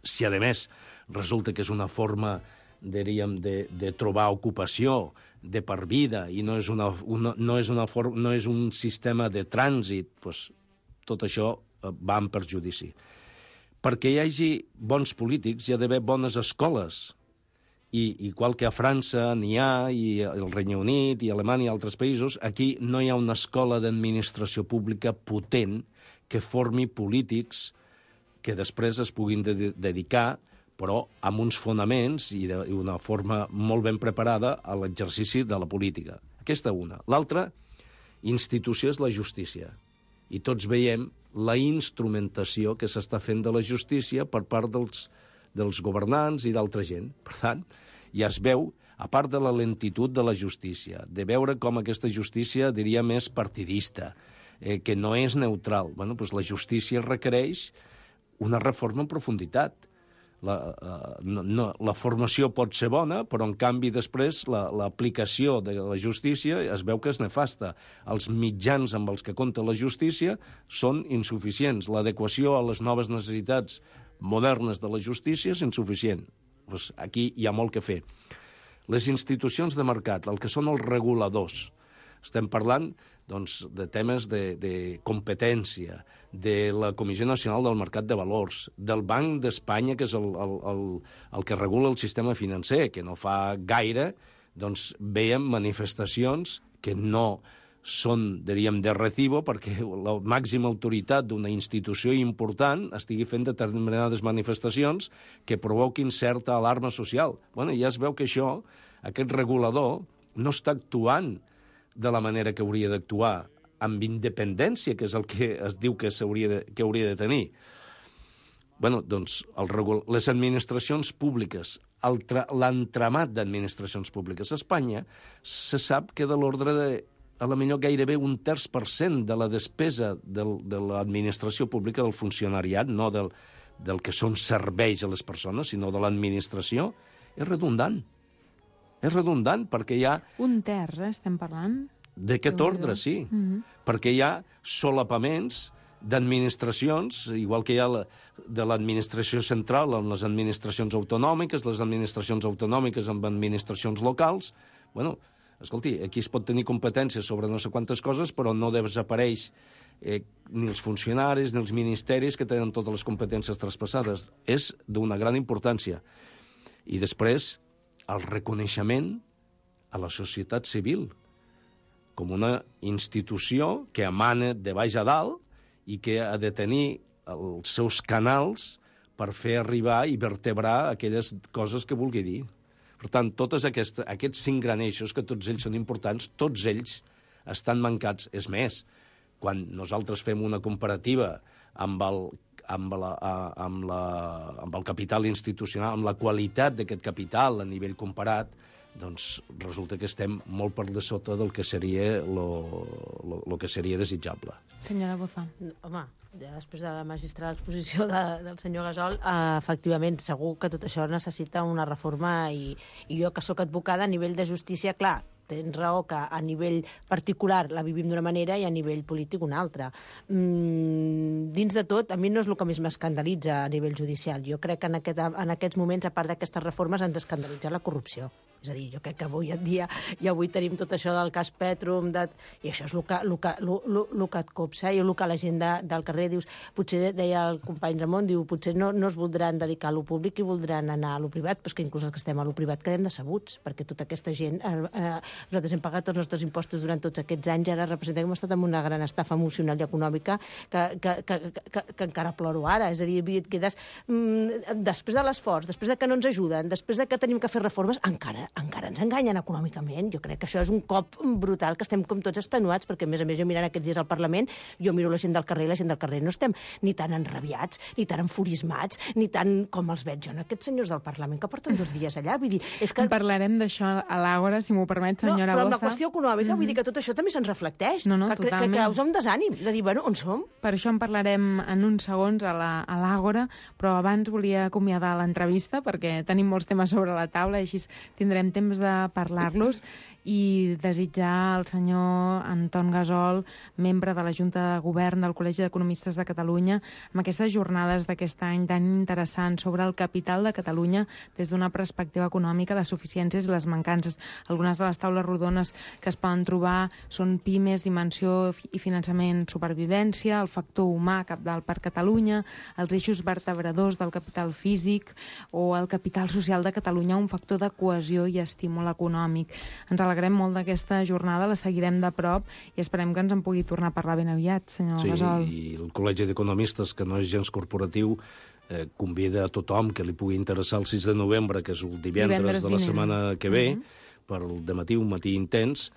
S8: si a més resulta que és una forma, diríem, de, de trobar ocupació de per vida i no és, una, una, no és, una forma, no és un sistema de trànsit, doncs tot això va en perjudici. Perquè hi hagi bons polítics hi ha d'haver bones escoles. I igual que a França n'hi ha, i el Regne Unit, i Alemanya i altres països, aquí no hi ha una escola d'administració pública potent que formi polítics que després es puguin de dedicar, però amb uns fonaments i d'una forma molt ben preparada a l'exercici de la política. Aquesta una. L'altra institució és la justícia. I tots veiem la instrumentació que s'està fent de la justícia per part dels, dels governants i d'altra gent. Per tant, ja es veu, a part de la lentitud de la justícia, de veure com aquesta justícia, diria, més partidista, eh, que no és neutral. Bueno, doncs la justícia requereix una reforma en profunditat. La, uh, no, no, la formació pot ser bona, però en canvi després l'aplicació la, de la justícia es veu que és nefasta. Els mitjans amb els que compta la justícia són insuficients. L'adequació a les noves necessitats modernes de la justícia és insuficient. Pues aquí hi ha molt que fer. Les institucions de mercat, el que són els reguladors, estem parlant doncs, de temes de, de competència, de la Comissió Nacional del Mercat de Valors, del Banc d'Espanya, que és el, el, el, el que regula el sistema financer, que no fa gaire, doncs veiem manifestacions que no són, diríem, de recibo, perquè la màxima autoritat d'una institució important estigui fent determinades manifestacions que provoquin certa alarma social. Bueno, ja es veu que això, aquest regulador, no està actuant de la manera que hauria d'actuar, amb independència, que és el que es diu que, de, que hauria de tenir. Bueno, doncs, el regul... les administracions públiques, l'entramat d'administracions públiques a Espanya, se sap que de l'ordre de, a la millor gairebé un terç per cent de la despesa del, de l'administració pública, del funcionariat, no del, del que són serveis a les persones, sinó de l'administració, és redundant. És redundant perquè hi ha...
S4: Un terç, eh, estem parlant?
S8: D'aquest ordre, sí. Mm-hmm. Perquè hi ha solapaments d'administracions, igual que hi ha la, de l'administració central amb les administracions autonòmiques, les administracions autonòmiques amb administracions locals. Bueno, escolti, aquí es pot tenir competències sobre no sé quantes coses, però no desapareix eh, ni els funcionaris ni els ministeris que tenen totes les competències traspassades. És d'una gran importància. I després, el reconeixement a la societat civil com una institució que emana de baix a dalt i que ha de tenir els seus canals per fer arribar i vertebrar aquelles coses que vulgui dir. Per tant, tots aquests, aquests cinc gran eixos, que tots ells són importants, tots ells estan mancats. És més, quan nosaltres fem una comparativa amb el, amb la, amb la, amb el capital institucional, amb la qualitat d'aquest capital a nivell comparat, doncs resulta que estem molt per de sota del que seria lo, lo, lo que seria desitjable.
S4: Senyora Boza.
S11: Home, després de la magistral exposició de, del senyor Gasol, eh, efectivament, segur que tot això necessita una reforma i, i jo que sóc advocada a nivell de justícia, clar, tens raó que a nivell particular la vivim d'una manera i a nivell polític una altra. Mm, dins de tot, a mi no és el que més m'escandalitza a nivell judicial. Jo crec que en, aquest, en aquests moments, a part d'aquestes reformes, ens escandalitza la corrupció. És a dir, jo crec que avui en dia, i avui tenim tot això del cas Petrum, de, i això és el que, el que, el, el, el que et copsa, i el que la gent de, del carrer dius, potser, deia el company Ramon, diu, potser no, no es voldran dedicar a lo públic i voldran anar a lo privat, però és que inclús els que estem a lo privat quedem decebuts, perquè tota aquesta gent, eh, eh, nosaltres hem pagat tots els nostres impostos durant tots aquests anys, ara representem que hem estat en una gran estafa emocional i econòmica que, que, que, que, que encara ploro ara, és a dir, et quedes, mm, després de l'esforç, després de que no ens ajuden, després de que tenim que fer reformes, encara encara ens enganyen econòmicament. Jo crec que això és un cop brutal, que estem com tots extenuats, perquè, a més a més, jo mirant aquests dies al Parlament, jo miro la gent del carrer i la gent del carrer no estem ni tan enrabiats, ni tan enfurismats, ni tan com els veig jo en aquests senyors del Parlament que porten dos dies allà. Vull dir, és que...
S4: Parlarem d'això a l'Àgora, si m'ho permet, senyora Boza.
S11: No, però amb la qüestió econòmica, mm-hmm. vull dir que tot això també se'n reflecteix.
S4: No, no,
S11: que,
S4: totalment.
S11: Que causa un desànim, de dir, bueno, on som?
S4: Per això en parlarem en uns segons a l'Àgora, però abans volia acomiadar l'entrevista, perquè tenim molts temes sobre la taula i així tindrem tindrem temps de parlar-los i desitjar al senyor Anton Gasol, membre de la Junta de Govern del Col·legi d'Economistes de Catalunya, amb aquestes jornades d'aquest any tan interessants sobre el capital de Catalunya des d'una perspectiva econòmica, les suficiències i les mancances. Algunes de les taules rodones que es poden trobar són pimes, dimensió i finançament, supervivència, el factor humà cabdal per Catalunya, els eixos vertebradors del capital físic o el capital social de Catalunya, un factor de cohesió i estímul econòmic. Ens alegrem molt d'aquesta jornada, la seguirem de prop i esperem que ens en pugui tornar a parlar ben aviat, senyor
S8: sí,
S4: Gasol.
S8: Sí, i el Col·legi d'Economistes, que no és gens corporatiu, eh, convida a tothom que li pugui interessar el sis de novembre, que és el divendres, divendres de la vinent. setmana que ve, uh -huh. per al dematí, un matí intens.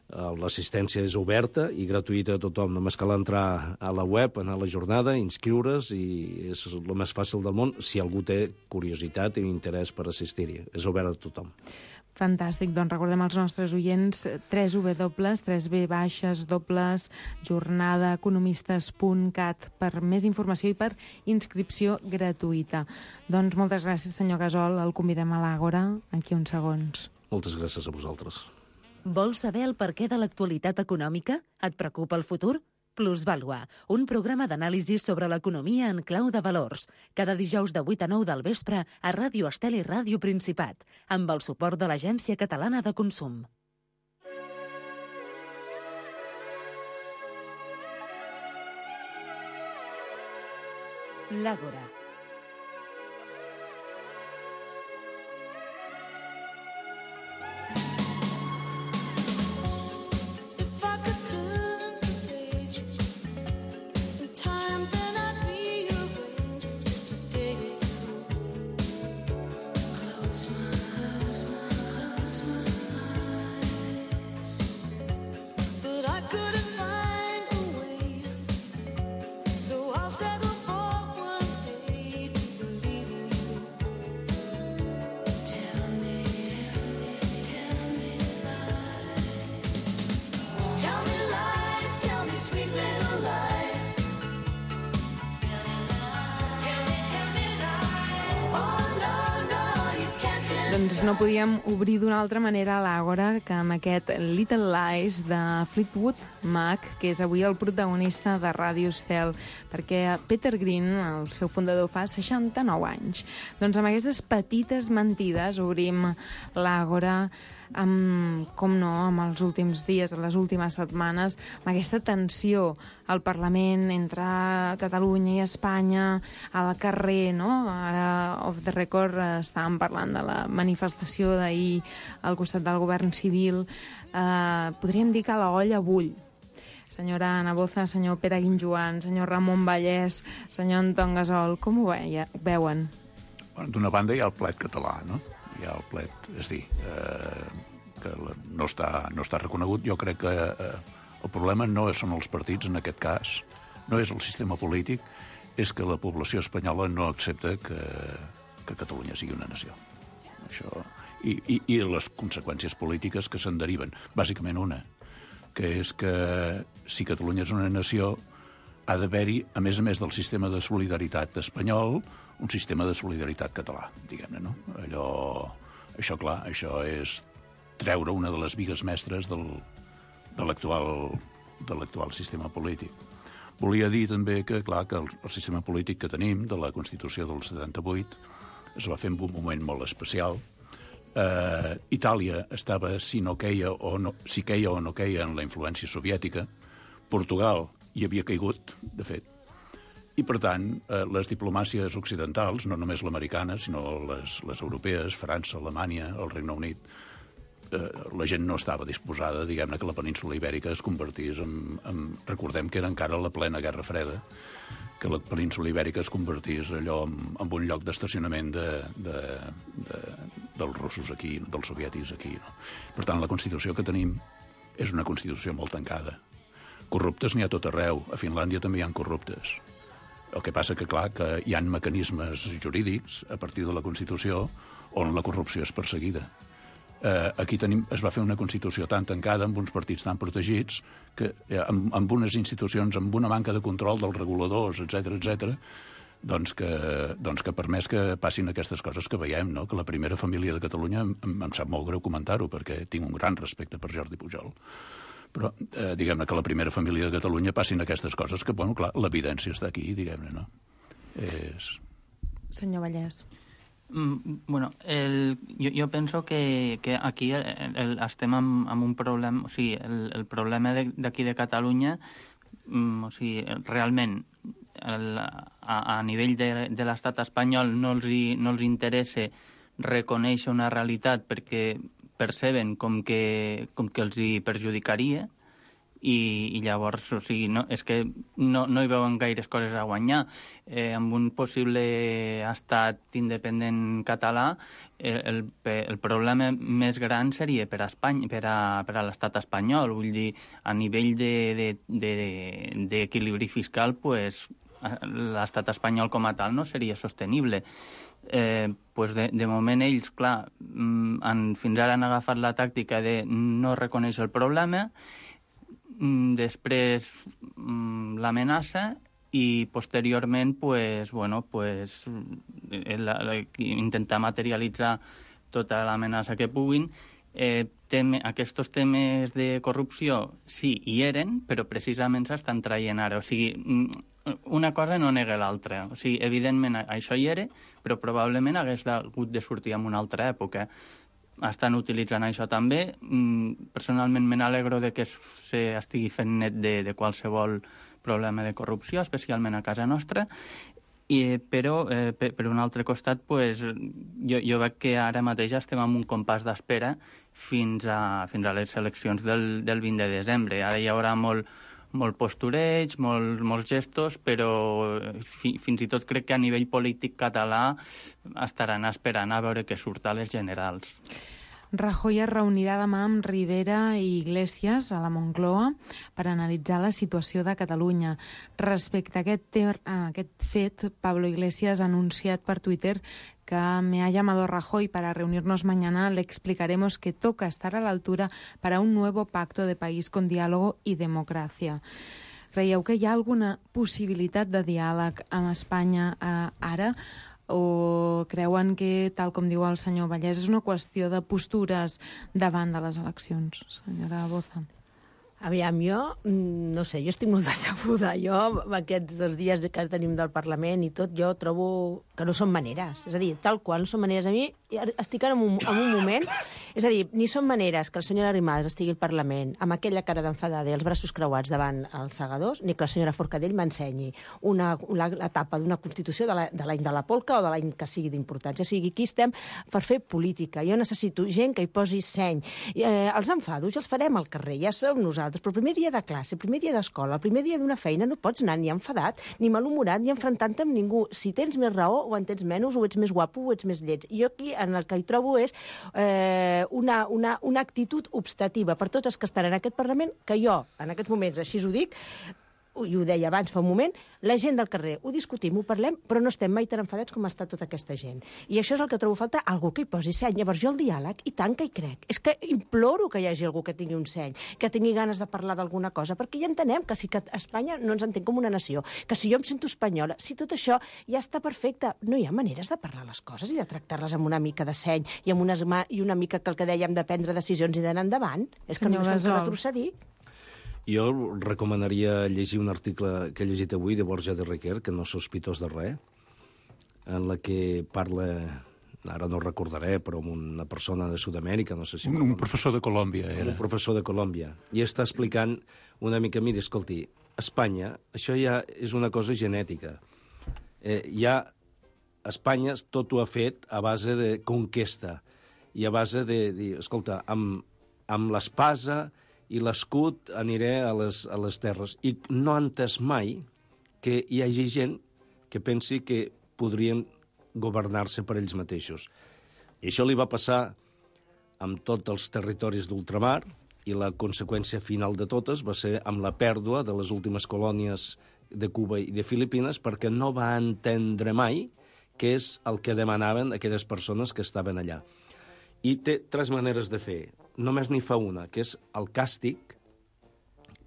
S8: L'assistència és oberta i gratuïta a tothom. Només cal entrar a la web, anar a la jornada, inscriure's, i és el més fàcil del món si algú té curiositat i interès per assistir-hi. És obert a tothom.
S4: Fantàstic, doncs recordem als nostres oients tres w tres b dobles jornada economistes punt cat per més informació i per inscripció gratuïta. Doncs moltes gràcies, senyor Gasol. El convidem a l'Àgora aquí uns segons.
S8: Moltes gràcies a vosaltres.
S2: Vols saber el perquè de l'actualitat econòmica? Et preocupa el futur? Plusvàlua, un programa d'anàlisi sobre l'economia en clau de valors. Cada dijous de vuit a nou del vespre a Ràdio Estel i Ràdio Principat, amb el suport de l'Agència Catalana de Consum. L'Àgora. Doncs no podíem obrir d'una altra manera a l'Àgora que amb aquest Little Lies de Fleetwood Mac, que és avui el protagonista de Ràdio Estel, perquè Peter Green, el seu fundador, fa seixanta-nou anys. Doncs amb aquestes petites mentides obrim l'Àgora amb, com no, amb els últims dies, les últimes setmanes, amb aquesta tensió al Parlament entre Catalunya i Espanya, al carrer, no? Ara, off the record, estàvem parlant de la manifestació d'ahir al costat del govern civil. Eh, podríem dir que la olla bull. Senyora Ana Boza, senyor Pere Guinjoan, senyor Ramon Vallès, senyor Anton Gasol, com ho veia, veuen?
S10: Bueno, d'una banda hi ha el plet català, no? Hi ha el plet, és dir, eh, que no està, no està reconegut. Jo crec que eh, el problema no són els partits, en aquest cas, no és el sistema polític, és que la població espanyola no accepta que, que Catalunya sigui una nació. Això, i, i, i les conseqüències polítiques que se'n deriven. Bàsicament una, que és que si Catalunya és una nació, ha d'haver-hi, a més a més del sistema de solidaritat espanyol, un sistema de solidaritat català, diguem-ne, no? Allò, això, clar, això és treure una de les bigues mestres del, de l'actual de l'actual sistema polític. Volia dir també que, clar, que el, el sistema polític que tenim, de la Constitució del setanta-vuit, es va fer en un moment molt especial. Eh, Itàlia estava, si no queia o no, si queia o no queia en la influència soviètica. Portugal hi havia caigut, de fet. I, per tant, eh, les diplomàcies occidentals, no només l'americana, sinó les, les europees, França, Alemanya, el Regne Unit, eh, la gent no estava disposada, diguem-ne, que la península ibèrica es convertís en, en... Recordem que era encara la plena Guerra Freda, que la península ibèrica es convertís allò en, en un lloc d'estacionament de, de, de, dels russos aquí, dels soviètics aquí. No? Per tant, la Constitució que tenim és una Constitució molt tancada. Corruptes n'hi ha tot arreu. A Finlàndia també hi ha corruptes. El que passa que, clar, que hi ha mecanismes jurídics a partir de la Constitució on la corrupció és perseguida. Eh, aquí tenim, es va fer una Constitució tan tancada, amb uns partits tan protegits, que eh, amb, amb unes institucions, amb una manca de control dels reguladors, etcètera, etcètera, doncs que, doncs que ha permès que passin aquestes coses que veiem, no? Que la primera família de Catalunya, em, em sap molt greu comentar-ho, perquè tinc un gran respecte per Jordi Pujol, però eh, diguem-ne que la primera família de Catalunya passin aquestes coses que, bueno, clar, l'evidència està aquí, diguem-ne, no? És...
S4: Senyor Vallès.
S9: Mm, bueno, el, jo, jo penso que, que aquí el, el, estem amb, amb un problema, o sigui, el, el problema d'aquí de, de Catalunya, mm, o sigui, realment, el, a, a nivell de, de l'estat espanyol no els, hi, no els interessa reconèixer una realitat perquè perceben com que, com que els hi perjudicaria, i, i llavors, o sigui, no, és que no, no hi veuen gaires coses a guanyar. Eh, amb un possible estat independent català, el, el, el problema més gran seria per a Espanya, per a, per a l'estat espanyol. Vull dir, a nivell d'equilibri de, de, de fiscal, pues, l'estat espanyol com a tal no seria sostenible. Eh, pues de, de moment ells, clar, han, fins ara han agafat la tàctica de no reconèixer el problema, després l'amenaça i posteriorment pues, bueno, pues, la, la, intentar materialitzar tota l'amenaça que puguin. Eh, teme, aquests temes de corrupció sí, hi eren, però precisament s'estan traient ara. O sigui, una cosa no nega l'altra. O sigui, evidentment això hi era, però probablement hagués hagut de sortir en una altra època. Estan utilitzant això també. Personalment me n'alegro de que se estigui fent net de, de qualsevol problema de corrupció, especialment a casa nostra, i, però eh, per, per un altre costat pues, jo, jo veig que ara mateix estem en un compàs d'espera fins a, fins a les eleccions del, del vint de desembre. Ara hi haurà molt, molt postureig, molt, molts gestos, però fi, fins i tot crec que a nivell polític català estaran esperant a veure què surt a les generals.
S4: Rajoy es reunirà demà amb Rivera i Iglesias a la Moncloa per analitzar la situació de Catalunya. Respecte a aquest, ter, a aquest fet, Pablo Iglesias ha anunciat per Twitter que me ha llamado Rajoy para reunirnos mañana, le explicaremos que toca estar a la altura para un nuevo pacto de país con diálogo y democracia. Creieu que hi ha alguna possibilitat de diàleg amb Espanya eh, ara? O creuen que, tal com diu el senyor Vallès, és una qüestió de postures davant de les eleccions? Senyora Boza.
S11: Aviam, jo, no sé, jo estic molt decebuda. Jo, aquests dos dies que tenim del Parlament i tot, jo trobo que no són maneres. És a dir, tal qual, no són maneres. A mi estic en un, en un moment... És a dir, ni són maneres que la senyora Arrimadas estigui al Parlament amb aquella cara d'enfadada i els braços creuats davant els segadors, ni que la senyora Forcadell m'ensenyi una, una etapa d'una Constitució de l'any de, de la polca o de l'any que sigui d'importància. O sigui, aquí estem per fer política. Jo necessito gent que hi posi seny. Eh, els enfados ja els farem al carrer, ja som nosaltres, però el primer dia de classe, el primer dia d'escola, el primer dia d'una feina no pots anar ni enfadat, ni malhumorat, ni enfrontant-te amb ningú. Si tens més raó o en tens menys, o ets més guapo o ets més lleig. I jo aquí en el que hi trobo és eh, una, una, una actitud obstativa per tots els que estan en aquest Parlament, que jo, en aquests moments, així ho dic, i ho deia abans fa un moment, la gent del carrer, ho discutim, ho parlem, però no estem mai tan enfadats com està tota aquesta gent. I això és el que trobo a faltar, algú que hi posi seny. Llavors jo el diàleg, i tant que hi crec. És que imploro que hi hagi algú que tingui un seny, que tingui ganes de parlar d'alguna cosa, perquè ja entenem que si que Espanya no ens entén com una nació, que si jo em sento espanyola, si tot això ja està perfecte, no hi ha maneres de parlar les coses i de tractar-les amb una mica de seny i amb una, i una mica que el que dèiem de prendre decisions i d'anar endavant. És que
S4: Senyor
S11: només fem
S4: Gasol.
S11: retrocedir.
S8: Jo recomanaria llegir un article que he llegit avui de Borja de Requer, que no és sospitós de res, en la que parla, ara no recordaré, però amb una persona de Sud-amèrica, no sé si...
S10: Un, un professor de Colòmbia, era.
S8: Un professor de Colòmbia. I està explicant una mica, mira, escolti, Espanya, això ja és una cosa genètica. Eh, ja Espanya tot ho ha fet a base de conquesta i a base de dir, escolta, amb, amb l'espasa i l'escut aniré a les, a les terres. I no ha entès mai que hi hagi gent que pensi que podrien governar-se per ells mateixos. I això li va passar amb tots els territoris d'ultramar i la conseqüència final de totes va ser amb la pèrdua de les últimes colònies de Cuba i de Filipines perquè no va entendre mai què és el que demanaven aquelles persones que estaven allà. I té tres maneres de fer. Només n'hi fa una, que és el càstig,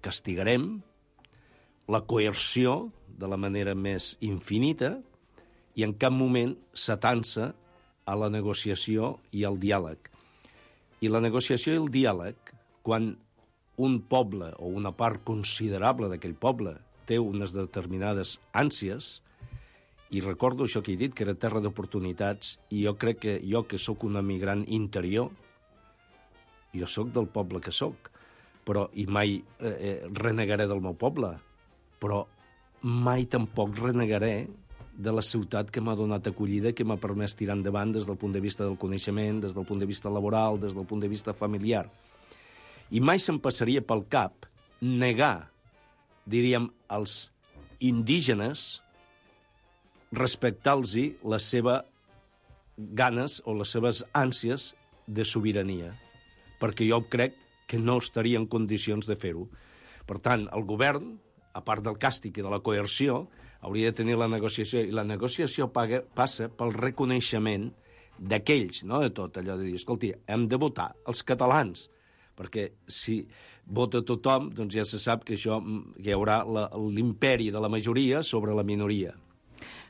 S8: castigarem, la coerció, de la manera més infinita, i en cap moment s'atança a la negociació i al diàleg. I la negociació i el diàleg, quan un poble o una part considerable d'aquell poble té unes determinades ànsies, i recordo això que he dit, que era terra d'oportunitats, i jo crec que jo, que sóc un emigrant interior, jo sóc del poble que sóc, però, i mai eh, renegaré del meu poble, però mai tampoc renegaré de la ciutat que m'ha donat acollida, que m'ha permès tirar endavant des del punt de vista del coneixement, des del punt de vista laboral, des del punt de vista familiar. I mai se'm passaria pel cap negar, diríem, als indígenes, respectar-los les seves ganes o les seves ànsies de sobirania, perquè jo crec que no estaria en condicions de fer-ho. Per tant, el govern, a part del càstig i de la coerció, hauria de tenir la negociació, i la negociació paga, passa pel reconeixement d'aquells, no de tot, allò de dir, escolti, hem de votar els catalans, perquè si vota tothom, doncs ja se sap que això que hi haurà l'imperi de la majoria sobre la minoria.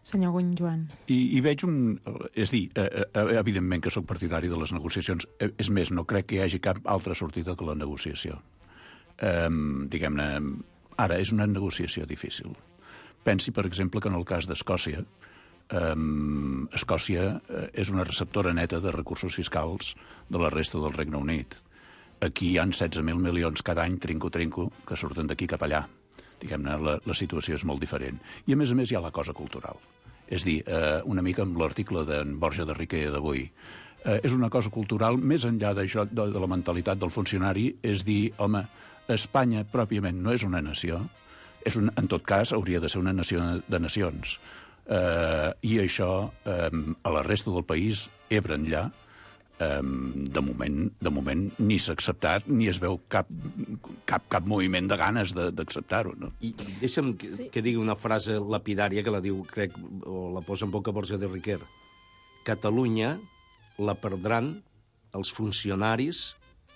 S4: Senyor Guny Joan.
S10: I, I veig un... És dir, eh, eh, evidentment que sóc partidari de les negociacions. Eh, és més, no crec que hi hagi cap altra sortida que la negociació. Eh, diguem-ne, ara és una negociació difícil. Pensi, per exemple, que en el cas d'Escòcia, eh, Escòcia eh, és una receptora neta de recursos fiscals de la resta del Regne Unit. Aquí hi ha setze mil milions cada any, trinco-trinco, que surten d'aquí cap allà. Diguem-ne, la, la situació és molt diferent. I, a més a més, hi ha la cosa cultural. És dir, eh, una mica amb l'article d'en Borja de Riquer d'avui. Eh, és una cosa cultural, més enllà d'això, de, de la mentalitat del funcionari, és dir, home, Espanya pròpiament no és una nació, és un, en tot cas, hauria de ser una nació de nacions. Eh, I això, eh, a la resta del país, Ebre enllà, de moment, de moment ni s'ha acceptat ni es veu cap, cap, cap moviment de ganes d'acceptar-ho. No?
S8: I deixa'm que, sí. que digui una frase lapidària que la diu, crec, o la posa en boca Borja de Riquer. Catalunya la perdran els funcionaris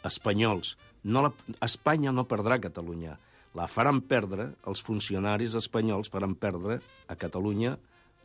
S8: espanyols. No la, Espanya no perdrà Catalunya. La faran perdre, els funcionaris espanyols faran perdre a Catalunya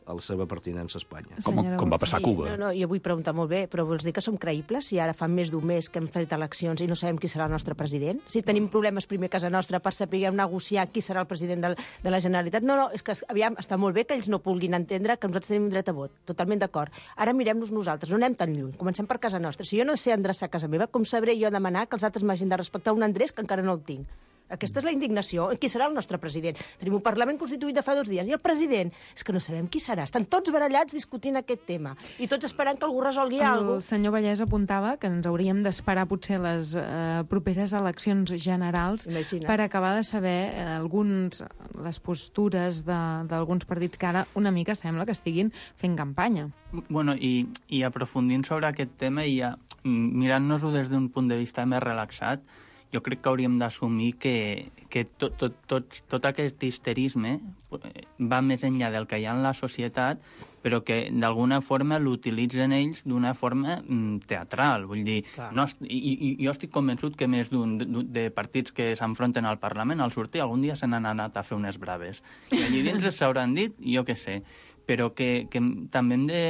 S8: a la seva pertinença a Espanya.
S10: Com, com va passar a Cuba.
S11: Sí, no, no, jo vull preguntar molt bé, però vols dir que som creïbles si ara fa més d'un mes que hem fet eleccions i no sabem qui serà el nostre president? Si tenim problemes primer a casa nostra per saber negociar qui serà el president de, de la Generalitat? No, no, és que aviam, està molt bé que ells no vulguin entendre que nosaltres tenim un dret a vot. Totalment d'acord. Ara mirem-nos nosaltres, no anem tan lluny. Comencem per casa nostra. Si jo no sé endreçar a casa meva, com sabré jo demanar que els altres m'hagin de respectar un endreç que encara no el tinc? Aquesta és la indignació. Qui serà el nostre president? Tenim un Parlament constituït de fa dos dies. I el president? És que no sabem qui serà. Estan tots barallats discutint aquest tema. I tots esperant que algú resolgui alguna cosa.
S4: El senyor Vallès apuntava que ens hauríem d'esperar potser les eh, properes eleccions generals
S11: Imagina.
S4: per acabar de saber eh, alguns, les postures d'alguns partits que ara una mica sembla que estiguin fent campanya.
S9: Bueno, i, i aprofundint sobre aquest tema i ja, mirant-nos-ho des d'un punt de vista més relaxat, jo crec que hauríem d'assumir que, que tot, tot, tot, tot aquest histerisme va més enllà del que hi ha en la societat, però que d'alguna forma l'utilitzen ells d'una forma mm, teatral. Vull dir, no, i, i jo estic convençut que més d'un de, de partits que s'enfronten al Parlament, al sortir, algun dia se n'han anat a fer unes braves. I allí dins s'hauran dit, jo què sé, però que, que també hem de...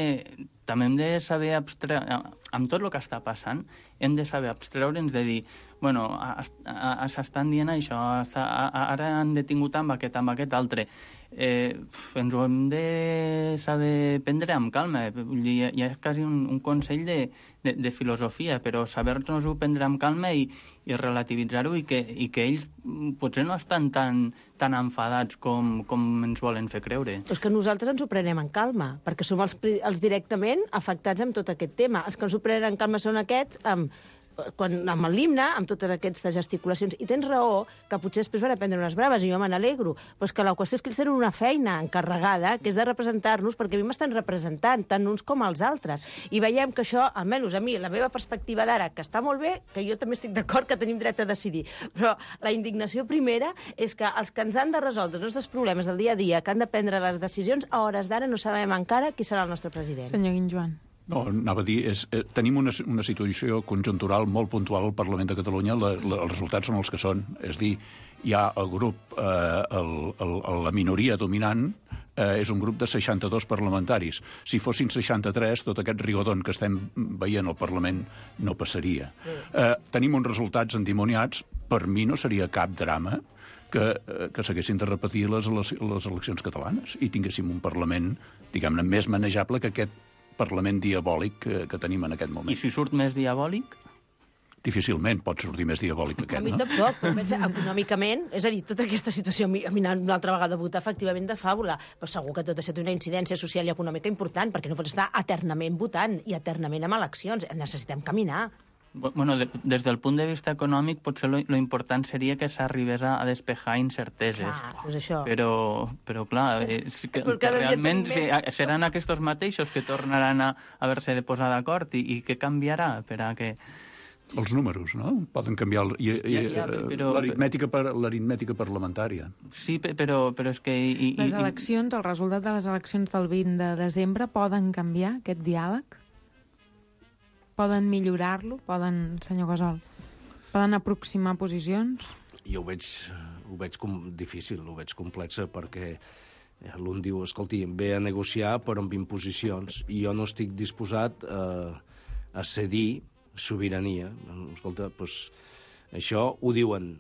S9: també hem de saber abstreure, amb tot el que està passant, hem de saber abstreure'ns de dir, bueno, s'estan dient això, ara han detingut amb aquest, amb aquest altre. Eh, ens ho hem de saber prendre amb calma. Vull dir, hi ha quasi un, un consell de, de, de filosofia, però saber-nos-ho prendre amb calma i, i relativitzar-ho i, que, i que ells potser no estan tan, tan enfadats com, com ens volen fer creure.
S11: És que nosaltres ens ho prenem en calma, perquè som els, els directament afectats amb tot aquest tema. Els que ens ho prenen en calma són aquests amb, quan, amb l'himne, amb totes aquestes gesticulacions. I tens raó que potser després van aprendre unes braves, i jo me n'alegro, però és que la qüestió és que ells tenen una feina encarregada, que és de representar-nos, perquè a mi m'estan representant, tant uns com els altres. I veiem que això, almenys a mi, la meva perspectiva d'ara, que està molt bé, que jo també estic d'acord que tenim dret a decidir, però la indignació primera és que els que ens han de resoldre els nostres problemes del dia a dia, que han de prendre les decisions, a hores d'ara no sabem encara qui serà el nostre president.
S4: Senyor Guinjoan.
S10: No, anava a dir, és, eh, tenim una, una situació conjuntural molt puntual al Parlament de Catalunya, la, la, els resultats són els que són, és dir, hi ha el grup, eh, el, el, la minoria dominant, eh, és un grup de seixanta-dos parlamentaris. Si fossin seixanta-tres, tot aquest rigodon que estem veient al Parlament no passaria. Eh, tenim uns resultats endimoniats. Per mi no seria cap drama que, eh, que s'haguessin de repetir les, les, les eleccions catalanes i tinguéssim un Parlament, diguem-ne, més manejable que aquest Parlament diabòlic que, que tenim en aquest moment.
S9: I si surt més diabòlic?
S10: Difícilment pot sortir més diabòlic que aquest,
S11: a mi
S10: no?
S11: tampoc, però pensa, econòmicament, és a dir, tota aquesta situació, a mi, a mi una altra vegada votar efectivament de fàbula, però segur que tot això té una incidència social i econòmica important, perquè no pots estar eternament votant i eternament amb eleccions. Necessitem caminar.
S9: Bueno, de, des del punt de vista econòmic, potser lo, lo important seria que s'arribés a, a despejar incerteses.
S11: Clar, doncs això.
S9: Però, però clar, és que, que realment més... seran aquests mateixos que tornaran a haver-se de posar d'acord i, i què canviarà per a que...
S10: Els números, no? Poden canviar l'aritmètica per, l'aritmètica parlamentària.
S9: Sí, però, però és que... I, i,
S4: les eleccions, el resultat de les eleccions del vint de desembre poden canviar aquest diàleg? Poden millorar-lo? Poden, senyor Gasol, poden aproximar posicions?
S8: Jo ho veig, ho veig com difícil, ho veig complexa, perquè l'un diu, escolti, ve a negociar però amb imposicions, i jo no estic disposat a, a cedir sobirania. Escolta, doncs, això ho diuen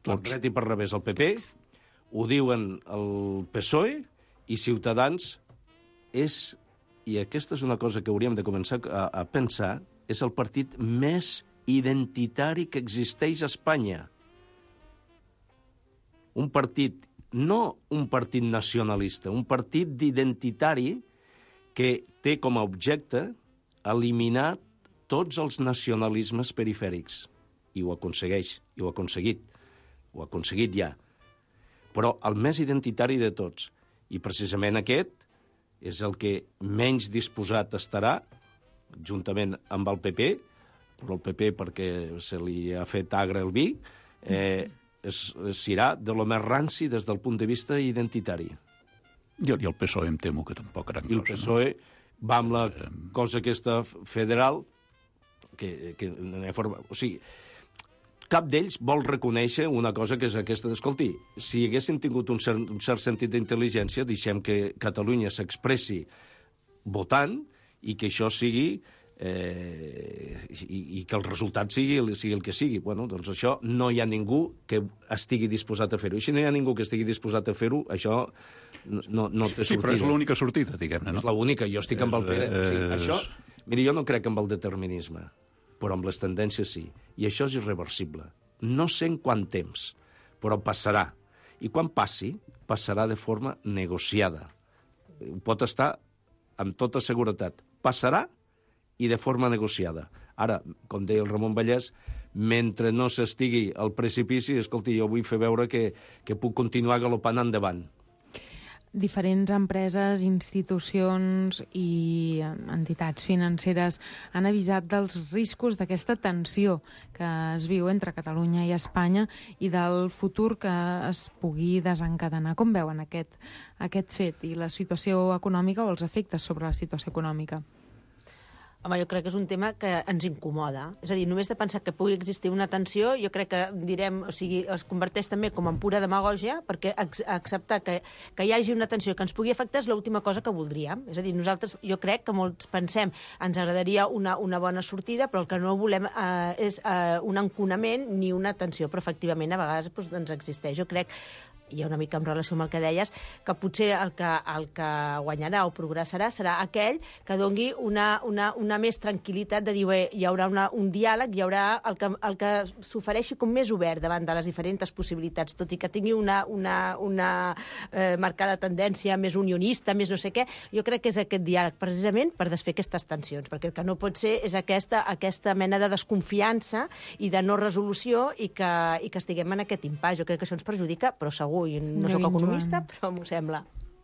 S8: per dret i per revés el P P, ho diuen el P S O E, i Ciutadans és, i aquesta és una cosa que hauríem de començar a, a pensar, és el partit més identitari que existeix a Espanya. Un partit, no un partit nacionalista, un partit d'identitari que té com a objecte eliminar tots els nacionalismes perifèrics. I ho aconsegueix, i ho ha aconseguit. Ho ha aconseguit ja. Però el més identitari de tots, i precisament aquest, és el que menys disposat estarà, juntament amb el P P, però el P P perquè se li ha fet agre el vi, eh, es, es serà de lo més ranci des del punt de vista identitari.
S10: I el, i el P S O E em temo que tampoc gran cosa.
S8: I el P S O E no? Va amb la cosa aquesta federal, que, que forma... O sigui, cap d'ells vol reconèixer una cosa que és aquesta d'escolti, si haguessin tingut un cert, un cert sentit d'intel·ligència, deixem que Catalunya s'expressi votant i que això sigui eh, i, i que el resultat sigui, sigui el que sigui. Bueno, doncs això no hi ha ningú que estigui disposat a fer-ho. I si no hi ha ningú que estigui disposat a fer-ho, això no, no té sortida.
S10: Sí, però és l'única sortida, diguem-ne, no?
S8: És l'única, jo estic amb el Pere. O sigui, això, mira, jo no crec en el determinisme, però amb les tendències sí. I això és irreversible. No sé en quant temps, però passarà. I quan passi, passarà de forma negociada. Ho pot estar amb tota seguretat. Passarà i de forma negociada. Ara, com deia el Ramon Vallès, mentre no s'estigui al precipici, escolti, jo vull fer veure que, que puc continuar galopant endavant.
S4: Diferents empreses, institucions i entitats financeres han avisat dels riscos d'aquesta tensió que es viu entre Catalunya i Espanya i del futur que es pugui desencadenar. Com veuen aquest, aquest fet i la situació econòmica o els efectes sobre la situació econòmica?
S11: Home, jo crec que és un tema que ens incomoda. És a dir, només de pensar que pugui existir una tensió, jo crec que, direm, o sigui, es converteix també com en pura demagògia, perquè acceptar que, que hi hagi una tensió que ens pugui afectar és l'última cosa que voldríem. És a dir, nosaltres, jo crec que molts pensem, ens agradaria una, una bona sortida, però el que no volem eh, és eh, un enconament ni una tensió, però efectivament a vegades doncs, doncs existeix. Jo crec, i una mica en relació amb el que deies, que potser el que, el que guanyarà o progressarà serà aquell que dongui una, una, una més tranquil·litat de dir, bé, hi haurà una, un diàleg, hi haurà el que, el que s'ofereixi com més obert davant de les diferents possibilitats, tot i que tingui una, una, una eh, marcada tendència més unionista, més no sé què, jo crec que és aquest diàleg precisament per desfer aquestes tensions, perquè el que no pot ser és aquesta, aquesta mena de desconfiança i de no resolució i que, i que estiguem en aquest impàs. Jo crec que això ens perjudica, però segur, i no sóc economista, però m'ho sembla.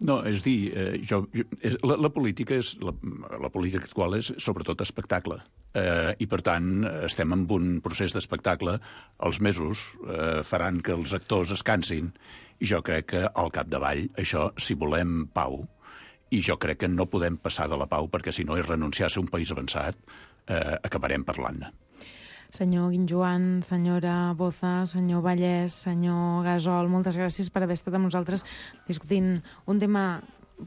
S10: No, és dir, eh, jo, jo, la, la política és la, la política actual és sobretot espectacle. Eh, I, per tant, estem en un procés d'espectacle. Els mesos eh, faran que els actors es cansin i jo crec que al capdavall això, si volem pau, i jo crec que no podem passar de la pau perquè si no és renunciar a ser un país avançat, eh, acabarem parlant-ne.
S4: Senyor Guinjoan, senyora Boza, senyor Vallès, senyor Gasol, moltes gràcies per haver estat amb nosaltres discutint un tema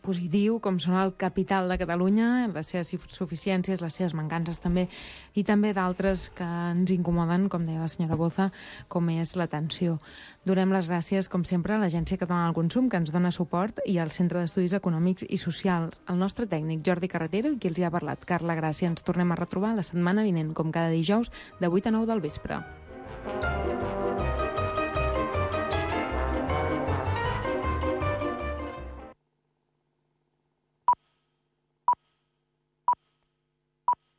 S4: positiu, com són el capital de Catalunya, les seves suficiències, les seves mancances també, i també d'altres que ens incomoden, com deia la senyora Boza, com és l'atenció. Donem les gràcies, com sempre, a l'Agència Catalana del Consum, que ens dona suport, i al Centre d'Estudis Econòmics i Socials, el nostre tècnic, Jordi Carretero, i qui els hi ha parlat, Carla Gràcia. Ens tornem a retrobar la setmana vinent, com cada dijous, de vuit a nou del vespre.